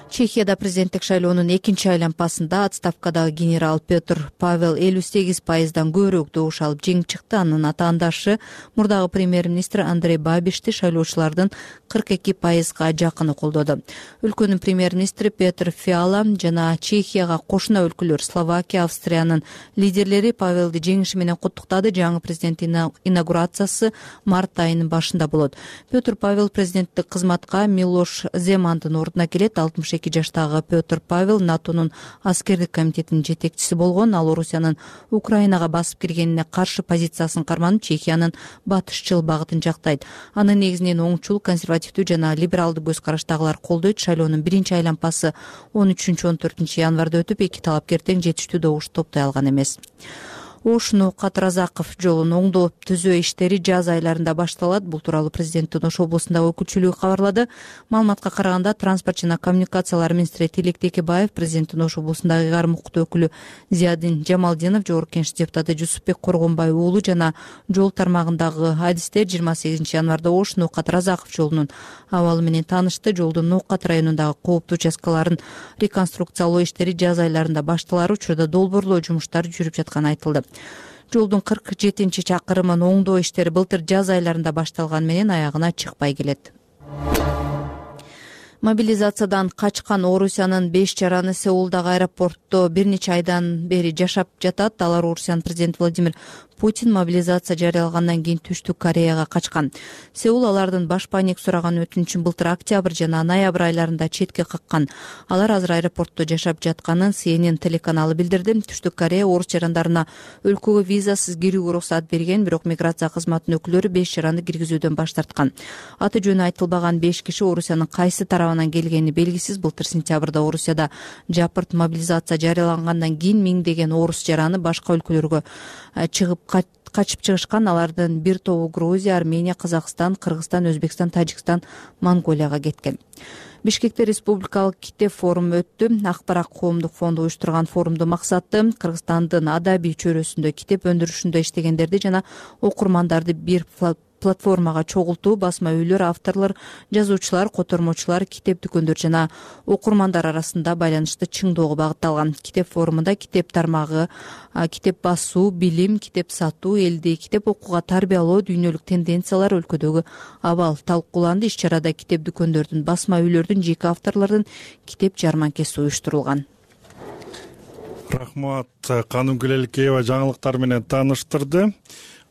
Чехияда президенттик шайлоонун экинчи айланпасында отставкадагы генерал Петр Павел 58%дан көбүрөөк добуш алып жеңип чыкты. Анын атаандашы мурдагы премьер-министр Андрей Бабишти шайлоочулардын 42%га жакыны колдоду. Өлкөнүн премьер-министри Петр Фиала жана Чехияга кошуна өлкөлөр Словакия, Австриянын лидерлери Павелди жеңиши менен куттуктады. Жаңы президенттин инаугурациясы март айынын башында болот. Петр Павел президенттик кызматка Милош Земандын ордуна келет. 62 жаштагы Петр Павел НАТОнун аскердик комитетинин жетекчиси болгон. Ал Орусиянын Украинага басып киргенине каршы позициясын карманып, Чехиянын батышчыл багытын жактайт. Анын негизинен оңчул, консервативдүү жана либералдуу көз караштагылар колдойт. Шайлоонун биринчи айланпасы 13-14 январда өтүп, эки талапкер тең жетиштүү добуш топтой алган эмес. Ош-Нукат-Разаков жолун оңдоп түзөө иштери жаз айларында башталат. Бул тууралуу президенттин Ош облусундагы өкүлчүлүгү кабарлады. Маалыматка караганда, транспорт жана коммуникациялар министри Тилек Текебаев, президенттин Ош облусундагы ыйгарым укуктуу өкүлү Зиядин Жамалдинов, жогорку кеңеш депутаты Жусупбек Коргонбай уулу жана жол тармагындагы адистер 28 январда Ош-Нукат-Разаков жолунун абалы менен таанышты. Жолдун Нукат районундагы кооптуу участкаларын реконструкциялоо иштери жаз айларында башталар учурда долбоорлоо жумуштары жүрүп жатканы айтылды. Жолдун 47 чакырымын оңдоо иштери былтыр жаз айларында башталган менен аягына чыкпай келет. Мобилизациядан качкан Орусиянын 5 жараны Сеулдагы аэропортто бир нече айдан бери жашап жатат. Алар Орусиянын президенти Владимир Путин мобилизация жарыялагандан кийин Түштүк Кореяга качкан. Сеул алардын баш паник сураган өтүнүчүн былтыр октябрь жана ноябрь айларында четке каккан. Алар азыр аэропортто жашап жатканын CNN телеканалы билдирди. Түштүк Корея орус жарандарына өлкөгө визасыз кирүүгө уруксат берген, бирок миграция кызматынын өкүлдөрү 5 жаранды киргизүүдөн баш тарткан. Аты жөнү айтылбаган 5 киши Орусиянын кайсы тарабынан келгени белгисиз. Былтыр сентябрда Орусияда жапырт мобилизация жарыялангандан кийин миңдеген орус жараны башка өлкөлөргө чыгып качып чыгышкан. Алардын бир тобу Грузия, Армения, Казакстан, Кыргызстан, Өзбекстан, Тажикстан, Монголияга кеткен. Бишкекте республикалык Китеп форуму өттү. Акбарат коомдук фонду уюштурган форумдун максаты Кыргызстандын адабий чөйрөсүндө китеп өндүрүшүндө иштегендерди жана окурмандарды бир платформага чогултуу басма үйлөр, авторлор, жазуучулар, котормочулар, китеп дүкөндөр жана окурмандар арасында байланышты чыңдоого багытталган. Китеп форумунда китеп тармагы, китеп басуу, билим, китеп сатуу, элди китеп окууга тарбиялоо, дүйнөлүк тенденциялар, өлкөдөгү абал талкууланды. Иш чарада китеп дүкөндөрдүн, басма үйлөрдүн, жеке авторлордун китеп жарманкеси уюштурулган. Рахмат, Канымгүл Элкеева жаңылыктар менен тааныштырды.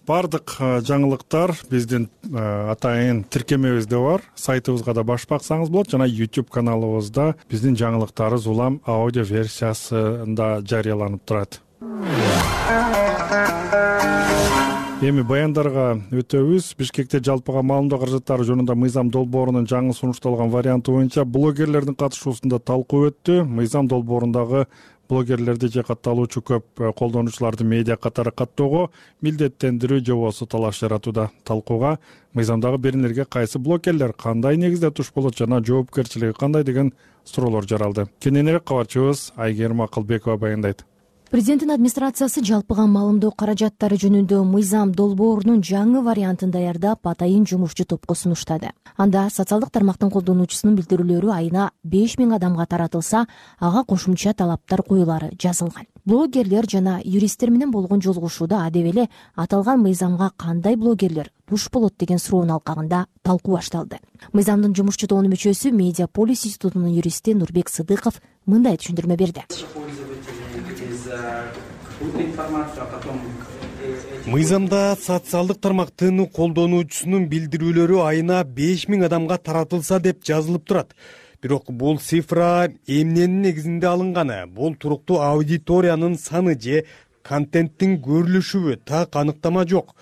Бардык жаңылыктар биздин атайын тиркемебизде бар, сайтыбызга да башып баксаңыз болот жана YouTube каналыбызда биздин жаңылыктарыбыз улам аудио версиясында жарыяланып турат. Эми баяндарга өтөбүз. Бишкекте жалпыга маалымдоо каражаттары жөнүндө мыйзам долбоорунун жаңы сунушталган варианты боюнча блогерлердин катышуусунда талкуу өттү. Мыйзам долбоорундагы блогерлерди же катталуучу көп колдонуучуларды медиа катары каттоого милдеттендирүү жобосу талаш жаратууда. Талкууга мыйзамдагы беренелерге кайсы блогерлер кандай негизде туш болот жана жоопкерчилиги кандай деген суроолор жаралды. Кененирээк кабарчыбыз Айгерим Акылбекова баяндайт. Президенттин администрациясы жалпыга маалымдоо каражаттары жөнүндө мыйзам долбоорунун жаңы вариантын даярдап, атайын жумушчу топко сунуштады. Анда социалдык тармактын колдонуучусунун билдирүүлөрү айына 5000 адамга таратылса, ага кошумча талаптар коюлары жазылган. Блогерлер жана юристтер менен болгон жолугушууда адеп эле аталган мыйзамга кандай блогерлер туш болот деген суроонун алкагында талкуу башталды. Мыйзамдын жумушчу тобунун мүчөсү Медиаполис институтунун юристи Нурбек Сыдыков мындай түшүндүрмө берди. Мыйзамда социалдык тармактын колдонуучусунун билдирүүлөрү айына 5000 адамга таратылса деп жазылып турат. Бирок бул цифра эмненин негизинде алынганы, бул туруктуу аудиториянын саны же контенттин көрүлүшүбү так аныктама жок.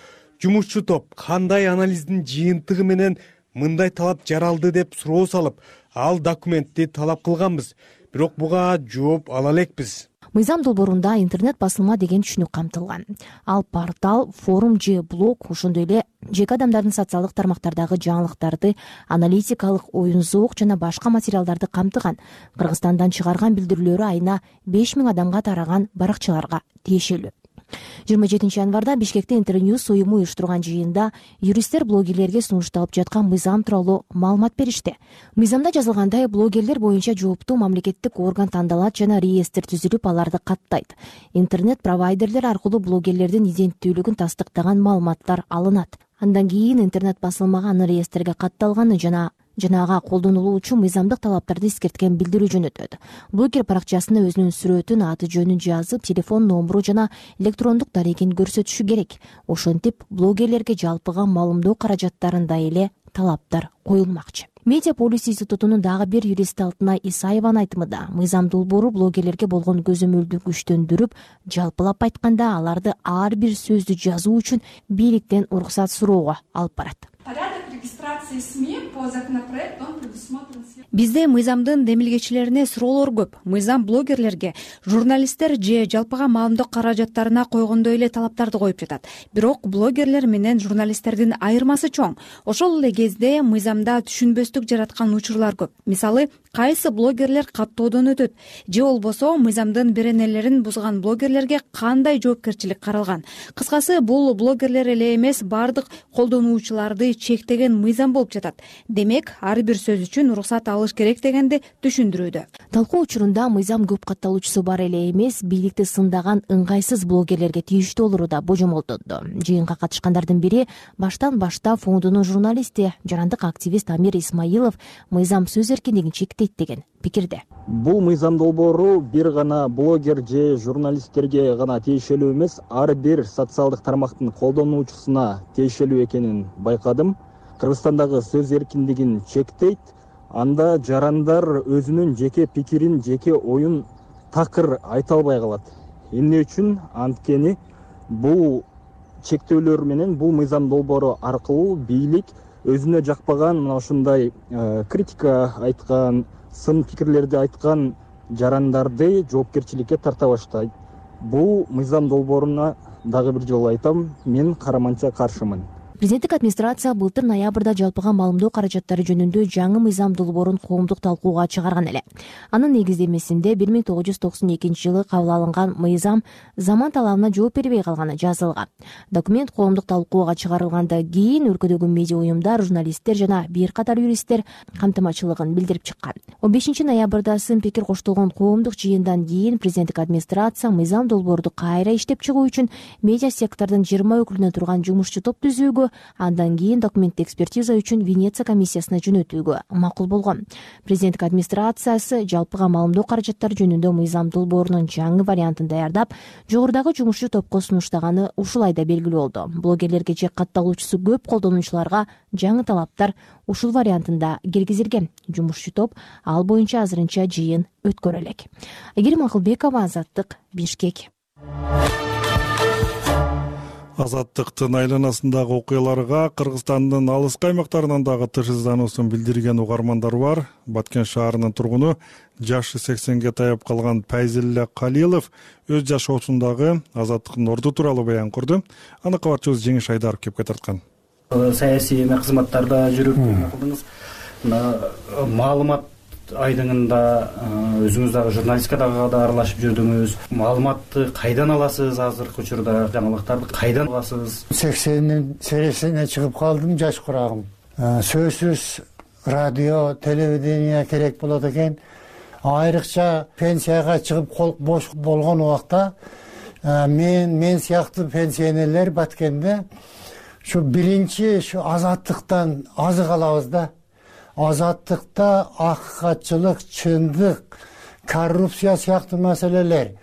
Жумушчу топ кандай анализдин жыйынтыгы менен мындай талап жаралды деп суроо салып, ал документти талап кылганбыз, бирок буга жооп ала элекпиз. Мыйзам долбоорунда интернет басылма деген түшүнүк камтылган. Ал портал, форум же блог, ошондой эле жеке адамдардын социалдык тармактардагы жаңылыктарды, аналитикалык оюн зоок жана башка материалдарды камтыган. Кыргызстандан чыгарган билдирүүлөрү айына 5000 адамга тараган баракчаларга тиешелүү. 27 январда Бишкекте Интерньюз уюму уюштурган жыйында юристтер блогерлерге сунушталып жаткан мыйзам тууралуу маалымат беришти. Мыйзамда жазылгандай, блогерлер боюнча жооптуу мамлекеттик орган тандалат жана реестр түзүлүп, аларды каттайт. Интернет провайдерлер аркылуу блогерлердин иденттүүлүгүн тастыктаган маалыматтар алынат. Андан кийин интернет басылмага анын реестрге катталганы жана ага колдонулуучу мыйзамдык талаптарды эскерткен билдирүү жөнөтөт. Блогер баракчасына өзүнүн сүрөтүн, аты жөнүн жазып, телефон номеру жана электрондук дарегин көрсөтүшү керек. Ошентип блогерлерге жалпыга маалымдоо каражаттарында эле талаптар коюлмакчы. Медиаполис институтунун дагы бир юристи Алтынай Исаеванын айтымында, мыйзам долбоору блогерлерге болгон көзөмөлдү күчтөндүрүп, жалпылап айтканда аларды ар бир сөздү жазуу үчүн бийликтен уруксат суроого алып барат. Бизде мыйзамдын демилгечилерине суроолор көп. Мыйзам блогерлерге, журналисттер же жалпыга маалымдоо каражаттарына койгондой эле талаптарды коюп жатат. Бирок блогерлер менен журналисттердин айырмасы чоң. Ошол эле кезде мыйзамда түшүнбөстүк жараткан учурлар көп. Мисалы, кайсы блогерлер каттоодон өтөт же болбосо мыйзамдын беренелерин бузган блогерлерге кандай жоопкерчилик каралган. Кыскасы, бул блогерлер эле эмес, бардык колдонуучуларды чектеген мыйзам болуп жатат. Демек, ар бир сөз үчүн уруксат алыш керек дегенди түшүндүрүүдө. Талкуу учурунда мыйзам көп катталуучусу бар эле эмес, бийликти сындаган ыңгайсыз блогерлерге тийиштүү болору да божомолдонду. Жыйынга катышкандардын бири баштан баштап фондунун журналисти, жарандык активист Амир Исмаилов мыйзам сөз эркиндигин чектейт деген пикирде. Бул мыйзам долбоору бир гана блогер же журналисттерге гана тиешелүү эмес, ар бир социалдык тармактын колдонуучусуна тиешелүү экенин байкадым. Кыргызстандагы сөз эркиндигин чектейт. Анда жарандар өзүнүн жеке пикирин, жеке оюн такыр айта албай калат. Эмне үчүн? Анткени бул чектөөлөр менен бул мыйзам долбоору аркылуу бийлик өзүнө жакпаган мына ушундай критика айткан, сын пикирлерди айткан жарандарды жоопкерчиликке тарта баштайт. Бул мыйзам долбооруна дагы бир жолу айтам, мен караманча каршымын. Президенттик администрация былтыр ноябрда жалпыга маалымдоо каражаттары жөнүндө жаңы мыйзам долбоорун коомдук талкууга чыгарган эле. Анын негиздемесинде 1992 жылы кабыл алынган мыйзам заман талабына жооп бербей калганы жазылган. Документ коомдук талкууга чыгарылгандан кийин өлкөдөгү медиа уюмдар, журналисттер жана бир катар юристтер камтымачылыгын билдирип чыккан. 15 ноябрда сын пикир коштолгон коомдук жыйындан кийин президенттик администрация мыйзам долбоорду кайра иштеп чыгуу үчүн медиа сектордун 20 өкүлүнөн турган жумушчу топ түзүүгө, андан кийин документти экспертиза үчүн Венеция комиссиясына жөнөтүүгө макул болгон. Президенттик администрациясы жалпыга маалымдоо каражаттары жөнүндө мыйзам долбоорунун жаңы вариантын даярдап, жогорудагы жумушчу топко сунуштаганы ушул айда белгилүү болду. Блогерлерге же катталуучусу көп колдонуучуларга жаңы талаптар ушул вариантында киргизилген. Жумушчу топ ал боюнча азырынча жыйын өткөрө элек. Айгерим Акылбекова, Азаттык, Бишкек. Азаттыктын айланасындагы окуяларга Кыргызстандын алыскы аймактарынан дагы тынчсыздануусун билдирген угармандар бар. Баткен шаарынын тургуну жашы 80ге таяп калган Пайзилля Калилов өз жашоосундагы азаттыктын орду тууралуу баян курду. Аны кабарчыбыз Жеңиш Айдаров кепке тарткан. Саясий кызматтарда жүрүп кылдыңыз. Маалымат айдыңында өзүңүз дагы журналистикага да аралашып жүрдүңүз. Маалыматты кайдан аласыз? Азыркы учурда жаңылыктарды кайдан аласыз? 80-нин сересине чыгып калдым, жаш курагым. Сөзсүз радио, телевидение керек болот экен. Айрыкча пенсияга чыгып кол бош болгон убакта мен сыяктуу пенсионерлер Баткенде şu биринчи şu азаттыктан азык алабыз да. Азаттыкта акыкатчылык, чындык, коррупция сыяктуу маселелер,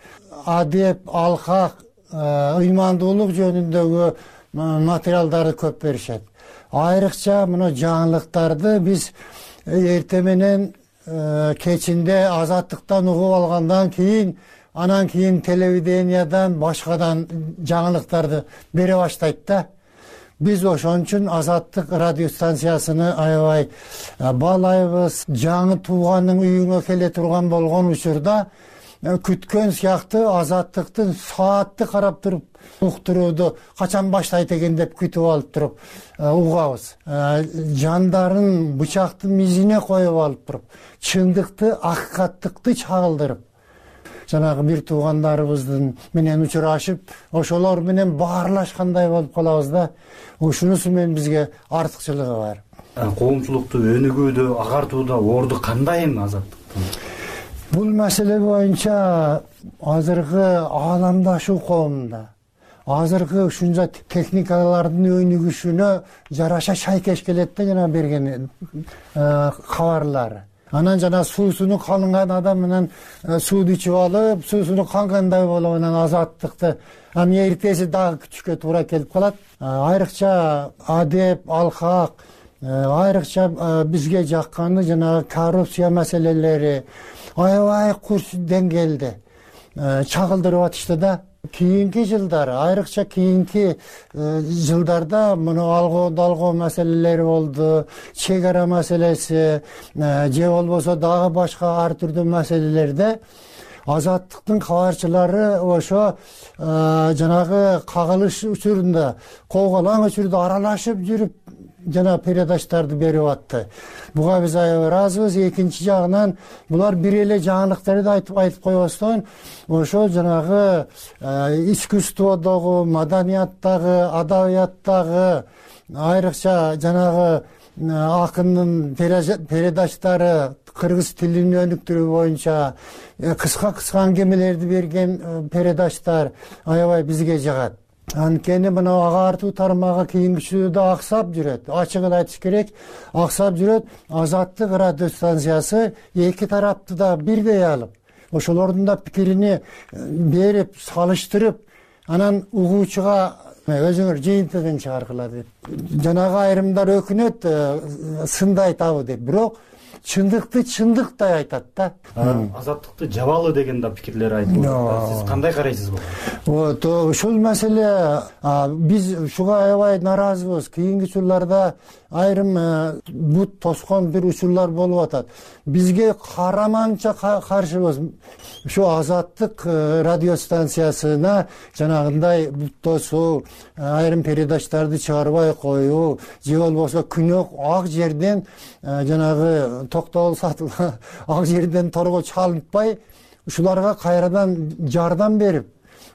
адеп, алкак, ыймандуулук жөнүндөгү материалдарды көп беришет. Айрыкча мына жаңылыктарды биз эрте менен кечинде азаттыктан угуп алгандан кийин, анан кийин телевидениядан, башкадан жаңылыктарды бере баштайт да. Биз ошон үчүн Азаттык радио станциясыны аябай баалайбыз. Жаңы тууганын үйүңө келе турган болгон учурда күткөн сыяктуу Азаттыктын саатты карап туруп уктурууду качан баштайт экен деп күтүп алып туруп угабыз. Жандарын бычактын мизине коюп алып туруп, чындыкты, акыкаттыкты чагылдырып, жанагы бир туугандарыбыздын менен учурашып, ошолор менен баарлашкандай болуп калабыз да. Ушунусу менен бизге артыкчылыгы бар. Коомчулукту өнүгүүдө, агартууда орду кандай эми Азаттыктын? Бул маселе боюнча азыркы ааламдашуу коомунда, азыркы ушунча техникалардын өнүгүшүнө жараша шайкеш келет да жана берген кабарлары. Анан жана суусуну калынган адам менен сууду ичип алып, суусуну кангандай болуп анан Азаттыкты эртеси дагы күтүшкө туура келип калат. Айрыкча адеп, алкак, айрыкча бизге жакканы жана коррупция маселелери аябай курч деңгээлде чагылдырып атышты да. Кийинки жылдары, айрыкча кийинки жылдарда муну алгоо маселелери болду, чек ара маселеси, же болбосо дагы башка ар түрдүү маселелерде Азаттыктын кабарчылары ошо жанагы кагылыш учурунда, колголаң учурда аралашып жүрүп жана передачтарды берип атты. Буга биз аябай ыраазыбыз. Экинчи жагынан булар бир эле жаңылыктарды айтып койбостон, ошол жанагы искусстводогу, маданияттагы, адабияттагы, айрыкча жанагы акындын передачтары, кыргыз тилин өнүктүрүү боюнча кыска аңгемелерди берген передачтар аябай бизге жагат. Анткени мына агартуу тармагы кийинкичүүдө аксап жүрөт. Ачыгын айтыш керек, аксап жүрөт. Азаттык радио станциясы эки тарапты да бирдей алып, ошолордун да пикирини берип, салыштырып, анан угуучуга өзүңөр жыйынтыгын чыгаргыла деп. Жанагы айрымдар өкүнөт, сынды айтабы деп. Бирок чындыкты чындыктай айтат да. Азаттыкты жабалы деген да пикирлер айтылып жатат. Сиз кандай карайсыз буга? Вот ушул маселе биз ушуга аябай нааразыбыз. Кийинки учурларда айрым бут тоскон бир учурлар болуп атат. Бизге караманча каршыбыз. Ушу Азаттык радиостанциясына жанагындай бут тосуу, айрым передачтарды чыгарбай коюу, же болбосо күнөө ак жерден жанагы токтогул сатылган ак жерден торго чалынтпай, ушуларга кайрадан жардам берип,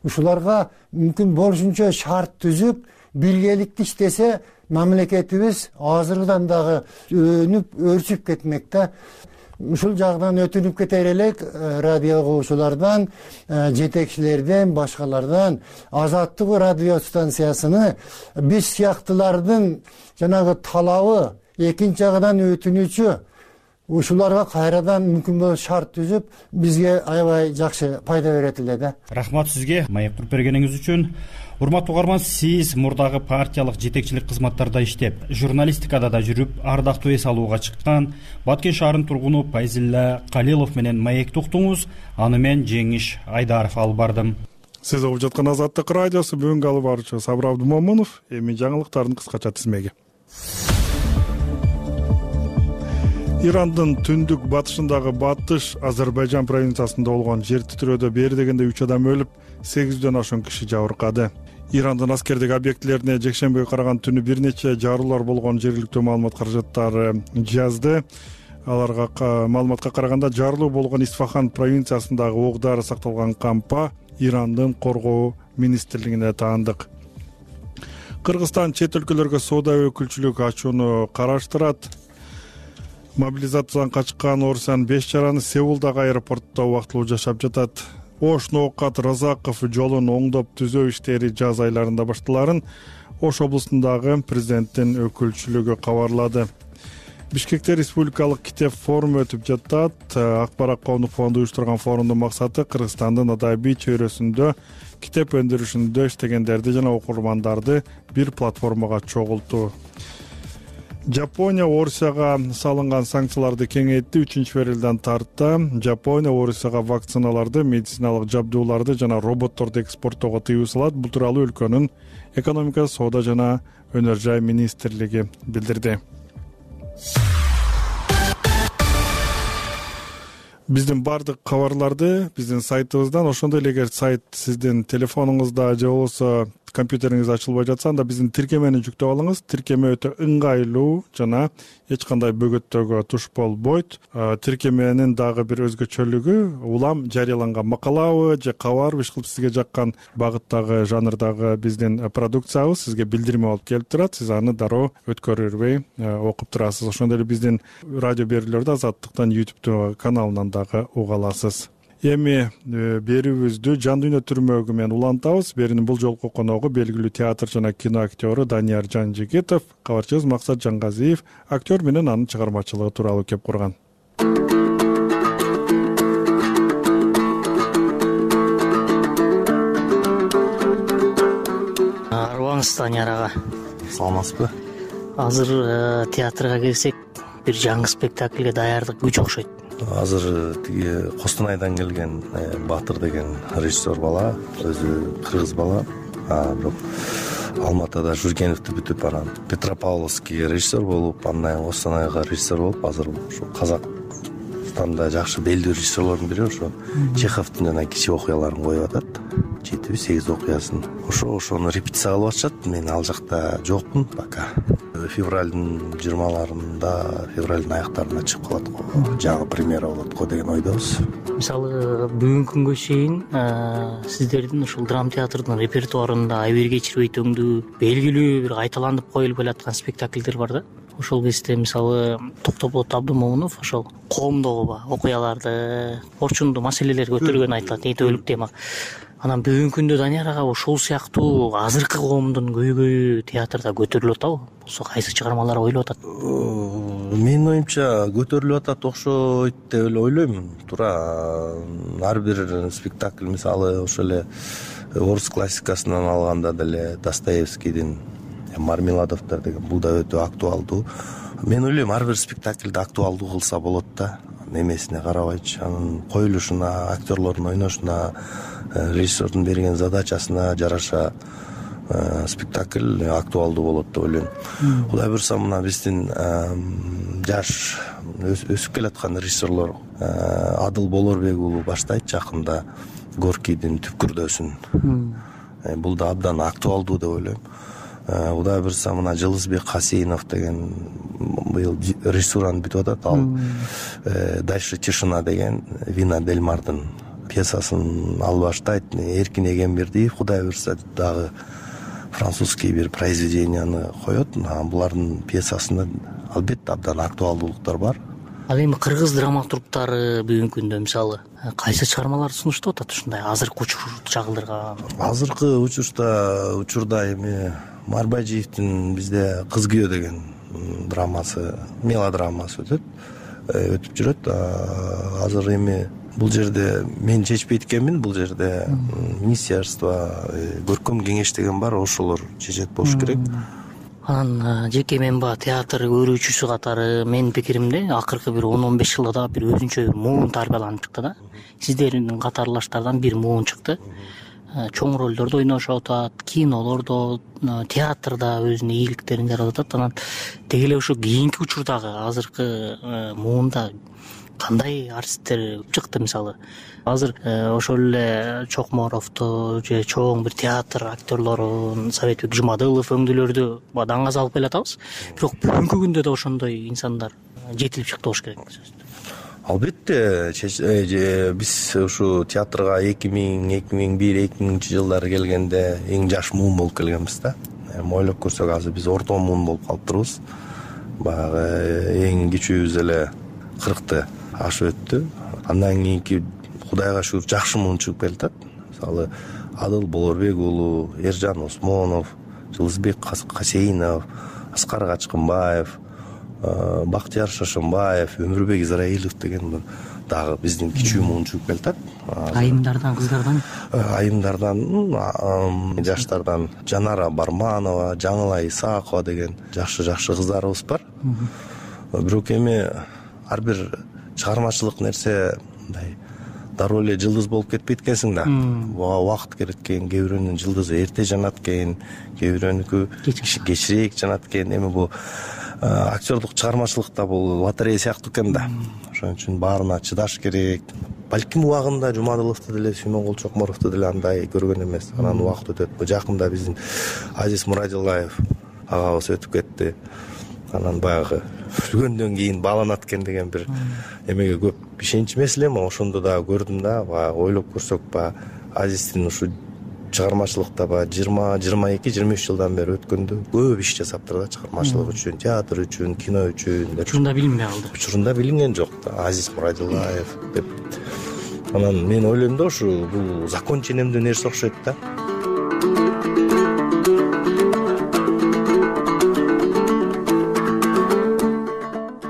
ушуларга мүмкүн болушунча шарт түзүп, биргеликте иштесе, мамлекетибиз азырдан дагы өнүп, өрчүп кетмек да. Ушул жагдан өтүнүп кетер элек радио угуучулардан, жетекчилерден, башкалардан Азаттык радиостанциясыны биз сыяктылардын жанагы талабы, экинчи жагдан өтүнүчү ушуларга кайрадан мүмкүн болсо шарт түзүп, бизге аябай жакшы пайда берет эле да. Рахмат сизге маек туруп бергениңиз үчүн. Урматтуу угарман, сиз мурдагы партиялык жетекчилик кызматтарда иштеп, журналистикада да жүрүп, ардактуу эс алууга чыккан Баткен шаарынын тургуну Пайзилла Калилов менен маекти уктуңуз. Аны мен Жеңиш Айдаров алып бардым. Сиз угуп жаткан Азаттык радиосу, бүгүнкү алып баруучу Сабыр Абдумомунов. Эми жаңылыктардын кыскача тизмеги. Ирандын түндүк батышындагы Батыш Азербайжан провинциясында болгон жер титирөөдө бери дегенде 3 адам өлүп, 800дөн ашуун киши жабыркады. Ирандын аскердик объектилерине жекшембиге караган түнү бир нече жарылуулар болгон жергиликтүү маалымат каражаттары жазды. Аларга маалыматка караганда жарылуу болгон Исфахан провинциясындагы ок-дары сакталган кампа Ирандын коргоо министрлигине таандык. Кыргызстан чет өлкөлөргө соода өкүлчүлүк ачууну караштырат. Мобилизациядан качкан Орусиянын 5 жараны Сеулдагы аэропортто убактылуу жашап жатат. Ош Ноокат Разаков жолун оңдоп түзөө иштери жаз айларында башталарын Ош облусундагы президенттин өкүлчүлүгү кабарлады. Бишкекте республикалык китеп форуму өтүп жатат. Акбарат коомдук фонду уюштурган форумдун максаты Кыргызстандын адабий чөйрөсүндө китеп өндүрүшүндө иштегендерди жана окурмандарды бир платформага чогултуу. Жапония Орусияга салынган санкцияларды кеңейтти. 3-февралдан тарта Жапония Орусияга вакциналарды, медициналык жабдууларды жана роботторду экспорттоого тыюу салат. Бул тууралуу өлкөнүн экономика, соода жана өнөр жай министрлиги билдирди. Биздин бардык кабарларды биздин сайтыбыздан, ошондой эле эгер сайт сиздин телефонуңузда же болбосо компьютериңиз ачылбай жатса, анда биздин тиркемени жүктөп алыңыз. Тиркеме өтө ыңгайлуу жана эч кандай бөгөттөргө туш болбойт. Тиркеменин дагы бир өзгөчөлүгү улам жарыяланган макалабы же кабарбы иш кылып сизге жаккан багыттагы, жанрдагы биздин продукциябыз сизге билдирме болуп келип турат. Сиз аны дароо өткөрүрбөй окуп турасыз. Ошондой эле биздин радио берүүлөрдү Азаттыктан YouTube каналынан дагы уга аласыз. Эми берүүбүздү жан дүйнө түрмөгү менен улантабыз. Берүүнүн бул жолку коногу белгилүү театр жана кино актёру Данияр Жанжигитов, кабарчыбыз Максат Жангазиев актер менен анын чыгармачылыгы тууралуу кеп курган. Арыбаңыз, Данияр ага. Саламатсызбы? Азыр театрга келсек, бир жаңы спектакльге даярдык күч окшойт. Азыр тиги Костонайдан келген Батыр деген режиссер бала, өзү кыргыз бала. Бирок Алматыда Жүргеновду бүтүп, анан Петропавловский режиссер болуп, андан Костонайга режиссер болуп, азыр ушу Казакстанда жакшы белдүү режиссерлордун бири ошо Чеховдун жана кичи окуяларын коюп атат. 7-8 окуясын. Ошону репетиция кылып атышат. Мен ал жакта жокмун пока. Февралдын 20-ларында, февралдын аяктарында чыгып калат го. Жаңы премьера болот го деген ойдобуз. Мисалы, бүгүнкү күнгө чейин сиздердин ушул драма театрдын репертуарында Айбер кечирбей төңдүү белгилүү бир кайталанып коюлуп келаткан спектакльдер бар да. Ошол кезде мисалы Токтоболот Абдумомунов ошол коомдогу окуяларды, орчундуу маселелерди көтөргөнү айтылат, этөлүк тема. Анан бүгүнкү күндө Данияр ага ошол сыяктуу азыркы коомдун көйгөйү театрда көтөрүлүп атабы? Болсо кайсы чыгармалар ойлоп атат? Менин оюмча көтөрүлүп атат окшойт деп эле ойлойм. Туура ар бир спектакль мисалы ошол эле орус классикасынан алганда деле Достоевскийдин Мармеладовдор деген, бул да өтө актуалдуу. Мен ойлойм ар бир спектакльди актуалдуу кылса болот да, немесине карабайчы, анын коюлушуна, актерлордун ойношуна, режиссердун берген задачасына жараша спектакль актуалдуу болот деп ойлойм. Кудай буюрса мына биздин жаш өсүп келаткан режиссерлор Адыл Болорбек уулу баштайт жакында Горкийдин түпкүрдөсүн. Бул да абдан актуалдуу деп ойлойм. Кудай буюрса мына Жылызбек Касейинов деген быйыл режиссураны бүтүп атат. Ал Дальше тишина деген Вина Дельмардын пьесасын ал баштайт. Эркин Эгембердиев кудай буюрса дагы французский бир произведенияны коет. Булардын пьесасында албетте абдан актуалдуулуктар бар. Ал эми кыргыз драматургдары бүгүнкү күндө мисалы кайсы чыгармаларды сунуштап атат ушундай азыркы учурду чагылдырган? Азыркы учурда эми Марбажиевдин бизде Кыз күйөө деген драмасы, мелодрамасы өтүп жүрөт. Азыр эми бул жерде мен чечпейт экенмин, бул жерде министерство, көркөм кеңеш деген бар, ошолор чечет болуш керек. Анан жеке мен театр көрүүчүсү катары менин пикиримде акыркы бир 10-15 жылда бир өзүнчө бир муун тарбияланып чыкты да. Сиздердин катарлаштардан бир муун чыкты. Чоң ролдордо ойношуп атат, кинолордо, театрда өзүнүн ийгиликтерин жаратып атат. Анан деги эле ушу кийинки учурдагы азыркы муунда кандай артисттер чыкты мисалы? Азыр ошол эле Чокморовду же чоң бир театр актерлорун, Советбек Жумадылов өңдүүлөрдү даңгаз алып келатабыз. Бирок бүгүнкү күндө да ошондой инсандар жетилип чыкты болуш керек. Албетте, биз ушу театрга 2000-2001-2000 жылдары келгенде эң жаш муун болуп келгенбиз да. Ойлоп көрсөк азыр биз орто муун болуп калыптырбыз. Баягы эң кичүүбүз эле 40-ты ашып өттү. Андан кийинки Кудайга шүгүр жакшы муун чыгып келатат. Мисалы Адыл Болорбек уулу, Эржан Осмонов, Жылызбек Касейинов, Аскар Качкынбаев, Бактияр Шашынбаев, Өмүрбек Израилов деген дагы биздин кичүү муун чыгып келатат. Айымдардан, кыздардан? Айымдардан, жаштардан Жанара Барманова, Жаңыла Исаакова деген жакшы кыздарыбыз бар. Бирок эми ар бир чыгармачылык нерсе мындай дароо эле жылдыз болуп кетпейт экенсиң да. Убакыт керек экен, кээ бирөөнүн жылдызы эрте жанат экен, кээ бирөөнүкү кечирээк жанат экен. Эми бул актерлук чыгармачылыкта бул лотерея сыяктуу экен да. Ошон үчүн баарына чыдаш керек. Балким убагында Жумадыловду деле, Сүймөнгул Чокморовду деле андай көргөн эмес. Анан убакыт өтөт. Жакында биздин Азиз Мурадилаев агабыз өтүп кетти. Анан баягы жүргөндөн кийин бааланат экен деген бир эмеге көп ишенч эмес элем, ошондо дагы көрдүм да. Баягы ойлоп көрсөк, Азиздин ушу чыгармачылыкта 20-22-23 жылдан бери өткөндө көп иш жасаптыр да, чыгармачылык үчүн, театр үчүн, кино үчүн. Учурунда билинбей калды. Учурунда билинген жок да, Азиз Мурадилаев деп. Анан мен ойлойм да, ушу бул закон ченемдүү нерсе окшойт да.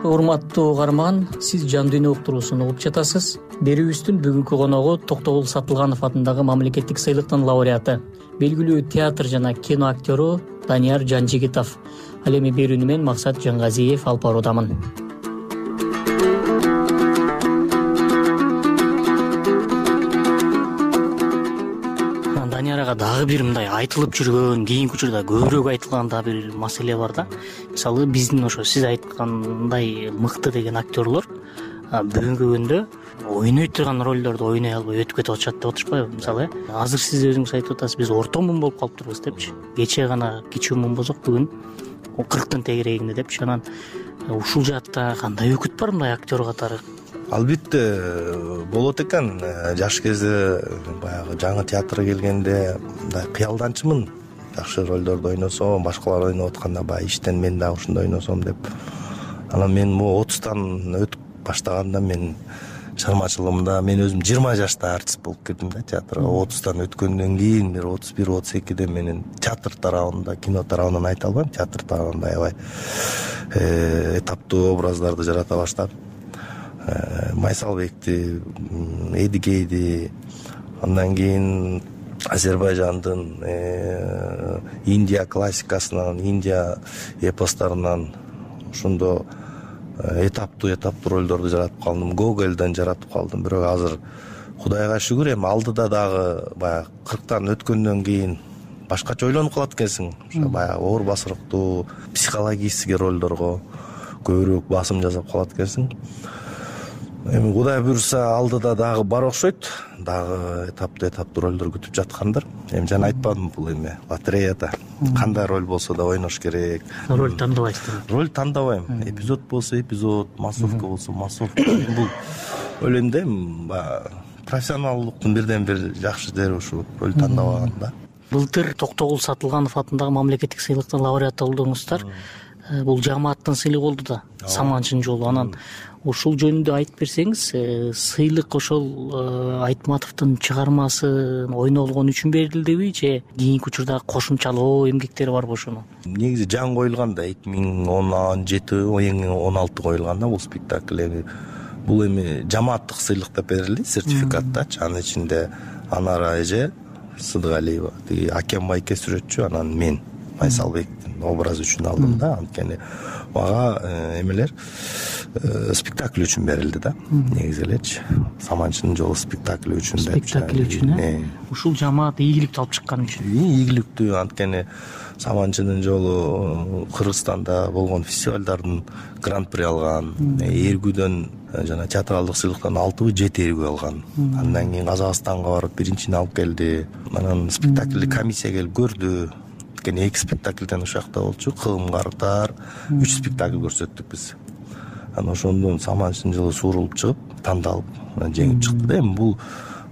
Урматтуу угарман, сиз Жан дүйнө уктуруусун угуп жатасыз. Берүүбүздүн бүгүнкү коногу Токтогул Сатылганов атындагы мамлекеттик сыйлыктын лауреаты, белгилүү театр жана кино актёру Данияр Жанжигитов. Ал эми берүүнү мен Максат Жангазиев алып баруудамын. Данияр ага дагы бир мындай айтылып жүргөн, кийинки учурда көбүрөөк айтылган да бир маселе бар да. Мисалы биздин ошо сиз айткандай мыкты деген актерлор бүгүнкү күндө ойной турган ролдорду ойной албай өтүп кетип атышат деп отурушпайбы? Мисалы азыр сиз өзүңүз айтып атасыз, биз орто муун болуп калыптырбыз депчи. Кечээ гана кичүү муун болсок, бүгүн 40-тын тегерегинде депчи. Анан ушул жаатта кандай өкүт бар мындай актер катары? Албетте болот экен. Жаш кезде баягы жаңы театрга келгенде мындай кыялданчумун. Жакшы ролдорду ойносом, башкалар ойноп атканда баягы иштен мен дагы ушундай ойносом деп. Анан мен могу 30тан өтүп баштаганда мен чыгармачылыгымда мен өзүм 20 жашта артист болуп кирдим да театрга. 30тан өткөндөн кийин бир 31-32де менин театр тарабында, кино тарабынан айта албайм, театр тарабында аябай этаптуу образдарды жарата баштадым. Майсалбекти, Эдигейди, андан кийин Азербайжандын Индия классикасынан, Индия эпостарынан ошондо этаптуу ролдорду жаратып калдым. Гогольдон жаратып калдым. Бирок азыр Кудайга шүгүр, эми алдыда дагы баягы 40тан өткөндөн кийин башкача ойлонуп калат экенсиң. Ошо баягы оор басырыктуу психологический ролдорго көбүрөөк басым жасап калат экенсиң. Эми Кудай буйрса алдыда дагы бар окшойт. Дагы этаптуу ролдор күтүп жаткандыр. Эми жана айтпадымбы, бул эми лотереяда кандай роль болсо да ойнош керек. Роль тандабайсыздар? Роль тандабайм. Эпизод болсо эпизод, массовка болсо массовка. Бул ойлойм да, профессионалдыктын бирден бир жакшы жери ушу роль тандабаган да. Былтыр Токтогул Сатылганов атындагы мамлекеттик сыйлыктын лауреаты болдуңуздар. Бул жамааттын сыйлыгы болду да, Саманчынын жолу. Анан ушул жөнүндө айтып берсеңиз, сыйлык ошол Айтматовдун чыгармасын ойнолгон үчүн берилдиби же кийинки учурда кошумчалоо эмгектери барбы ошону? Негизи жаңы коюлган да, 2017-2016 коюлган да бул спектакль. Бул эми жамааттык сыйлык деп берилди, сертификаттачы. Анын ичинде Анара эже Сыдыгалиева, тиги Акен байке сүрөтчү, анан мен Майсалбектин образы үчүн алдым да. Анткени мага эмелер спектакль үчүн берилди да. Негизи элечи Саманчынын жолу спектакль үчүн деп. Спектакль үчүн, ушул жамаат ийгиликтүү алып чыккан үчүн. Ийгиликтүү, анткени Саманчынын жолу Кыргызстанда болгон фестивалдардын гран-при алган, Эргүүдөн жана театралдык сыйлыктан 6-7 эргүү алган. Андан кийин Казакстанга барып биринчини алып келди. Анан спектакльди комиссия келип көрдү. Анткени 2 спектакльден ушакта болчу, Кылым Картар, 3 спектакль көрсөттүк биз. Анан ошондон Саманчынын жолу суурулуп чыгып, тандалып, жеңип чыкты да. Эми бул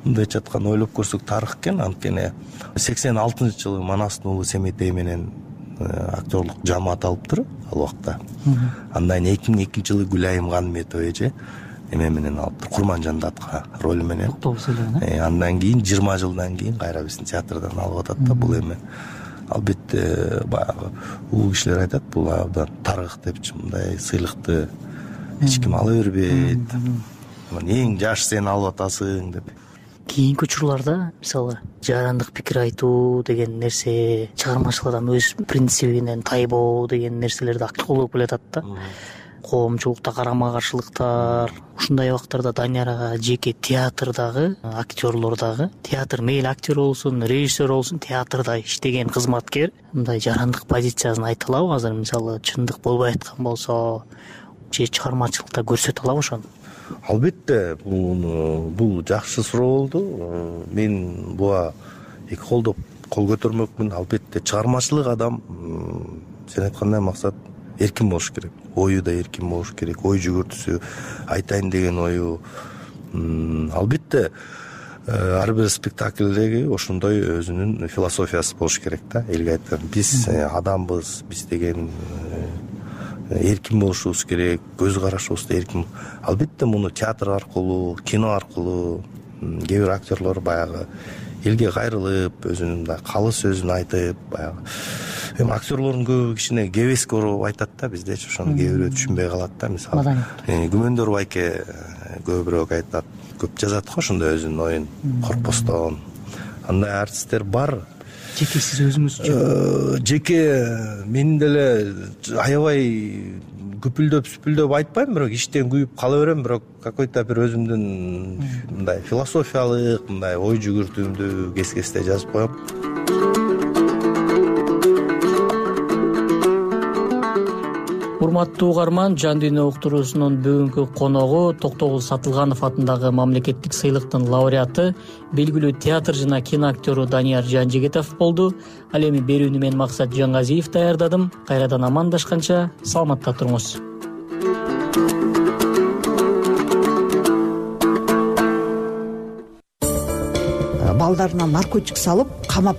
мындай жаткан ойлоп көрсөк тарых экен. Анткени 86-жылы Манастын уулу Семетей менен актерлук жамаат алыптыр ал убакта. Андан 2002-жылы Гүлайым Ганметова эже эме менен алыптыр, Курманжандатка роль менен. Андан кийин 20 жылдан кийин кайра биздин театрдан алып атат да. Бул эми албетте баягы улуу кишилер айтат, бул абдан тарых депчи, мындай сыйлыкты эч ким ала бербейт. Эң жаш сен алып атасың деп. Кийинки учурларда мисалы жарандык пикир айтуу деген нерсе, чыгармачылык адам өз принцибинен тайбоо деген нерселерди актив колдоп келатат да. Коомчулукта карама каршылыктар, ушундай убактарда Данияр ага жеке театрдагы актерлор дагы, театр мейли актер болсун, режиссер болсун, театрда иштеген кызматкер мындай жарандык позициясын айта алабы азыр? Мисалы чындык болбой аткан болсо же чыгармачылыкта көрсөтө алабы ошону? Албетте, бул жакшы суроо болду. Мен буга эки колдоп кол көтөрмөкмүн. Албетте чыгармачылык адам, сен айткандай максат эркин болуш керек. Ою да эркин болуш керек. Ой жүгүртүүсү, айтайын деген ою. Албетте ар бир спектакльдеги ошондой өзүнүн философиясы болуш керек да. Элге айткан биз адамбыз, биз деген эркин болушубуз керек, көз карашыбыз да эркин. Албетте муну театр аркылуу, кино аркылуу кээ бир актерлор баягы элге кайрылып, өзүнүн да калы сөзүн айтып, баягы эми актерлордун көбү кичине кебеске ороп айтат да, биздечи ошону кээ бирөө түшүнбөй калат да. Мисалы Күмөндөр байке көбүрөөк айтат, көп жазат го ошондой өзүнүн оюн коркпостон. Андай артисттер бар. Жеке сиз өзүңүзчү? Жеке мен деле аябай күпүлдөп айтпайм, бирок иштен күйүп кала берем, бирок какой-то бир өзүмдүн мындай философиялык, мындай ой жүгүртүүмдү кес-кесте жазып коем. Урматтуу угарман, Жан дүйнө уктуруусунун бүгүнкү коногу Токтогул Сатылганов атындагы мамлекеттик сыйлыктын лауреаты, белгилүү театр жана кино актёру Данияр Жанжигитов болду. Ал эми берүүнү мен Максат Жаңгазиев даярдадым. Кайрадан амандашканча саламатта туруңуз. Балдарына наркотик салып, камап,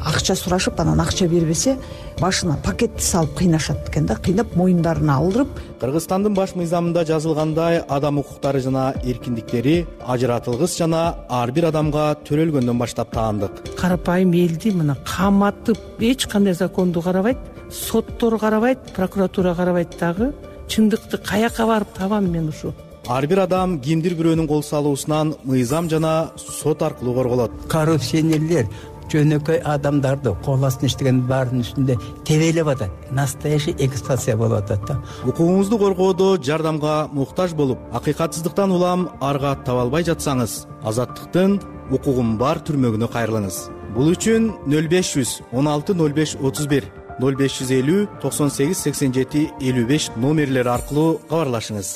акча сурашып, анан акча бербесе, башына пакетти салып кыйнашат экен да, кыйнап моюндарына алдырып. Кыргызстандын баш мыйзамында жазылгандай, адам укуктары жана эркиндиктери ажыратылгыс жана ар бир адамга төрөлгөндөн баштап таандык. Карапайым элди мына каматып, эч кандай законду карабайт, соттор карабайт, прокуратура карабайт дагы. Чындыкты каяка барып табам мен ушу? ар бир адам кимдир бирөөнүн кол салуусунан мыйзам жана сот аркылуу корголот. Коррупционерлер жөнөкөй адамдарды кол астына иштеген баарынын үстүндө тебелеп атат. Настоящий эксплуатация болуп атат да. Укугуңузду коргоодо жардамга муктаж болуп, акыйкатсыздыктан улам арга таба албай жатсаңыз, Азаттыктын укугум бар түрмөгүнө кайрылыңыз. Бул үчүн 0500 16 05 31 0550 98 87 55 номерлери аркылуу кабарлашыңыз.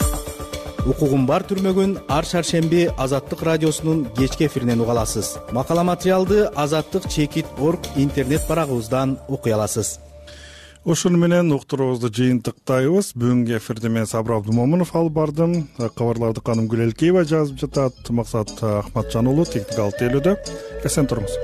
Укугум бар түрмөгүн ар шаршемби Азаттык радиосунун кечки эфиринен уга аласыз. Макала материалды azattik.org интернет барагыбыздан окуй аласыз. Ошону менен уктуруубузду жыйынтыктайбыз. Бүгүнкү эфирди мен Сабыр Абдумомунов алып бардым. Кабарларды Каным Гүлелкеева жазып жатат. Максат Ахматжан уулу техникалык тейлөөдө. Эсен туруңуз.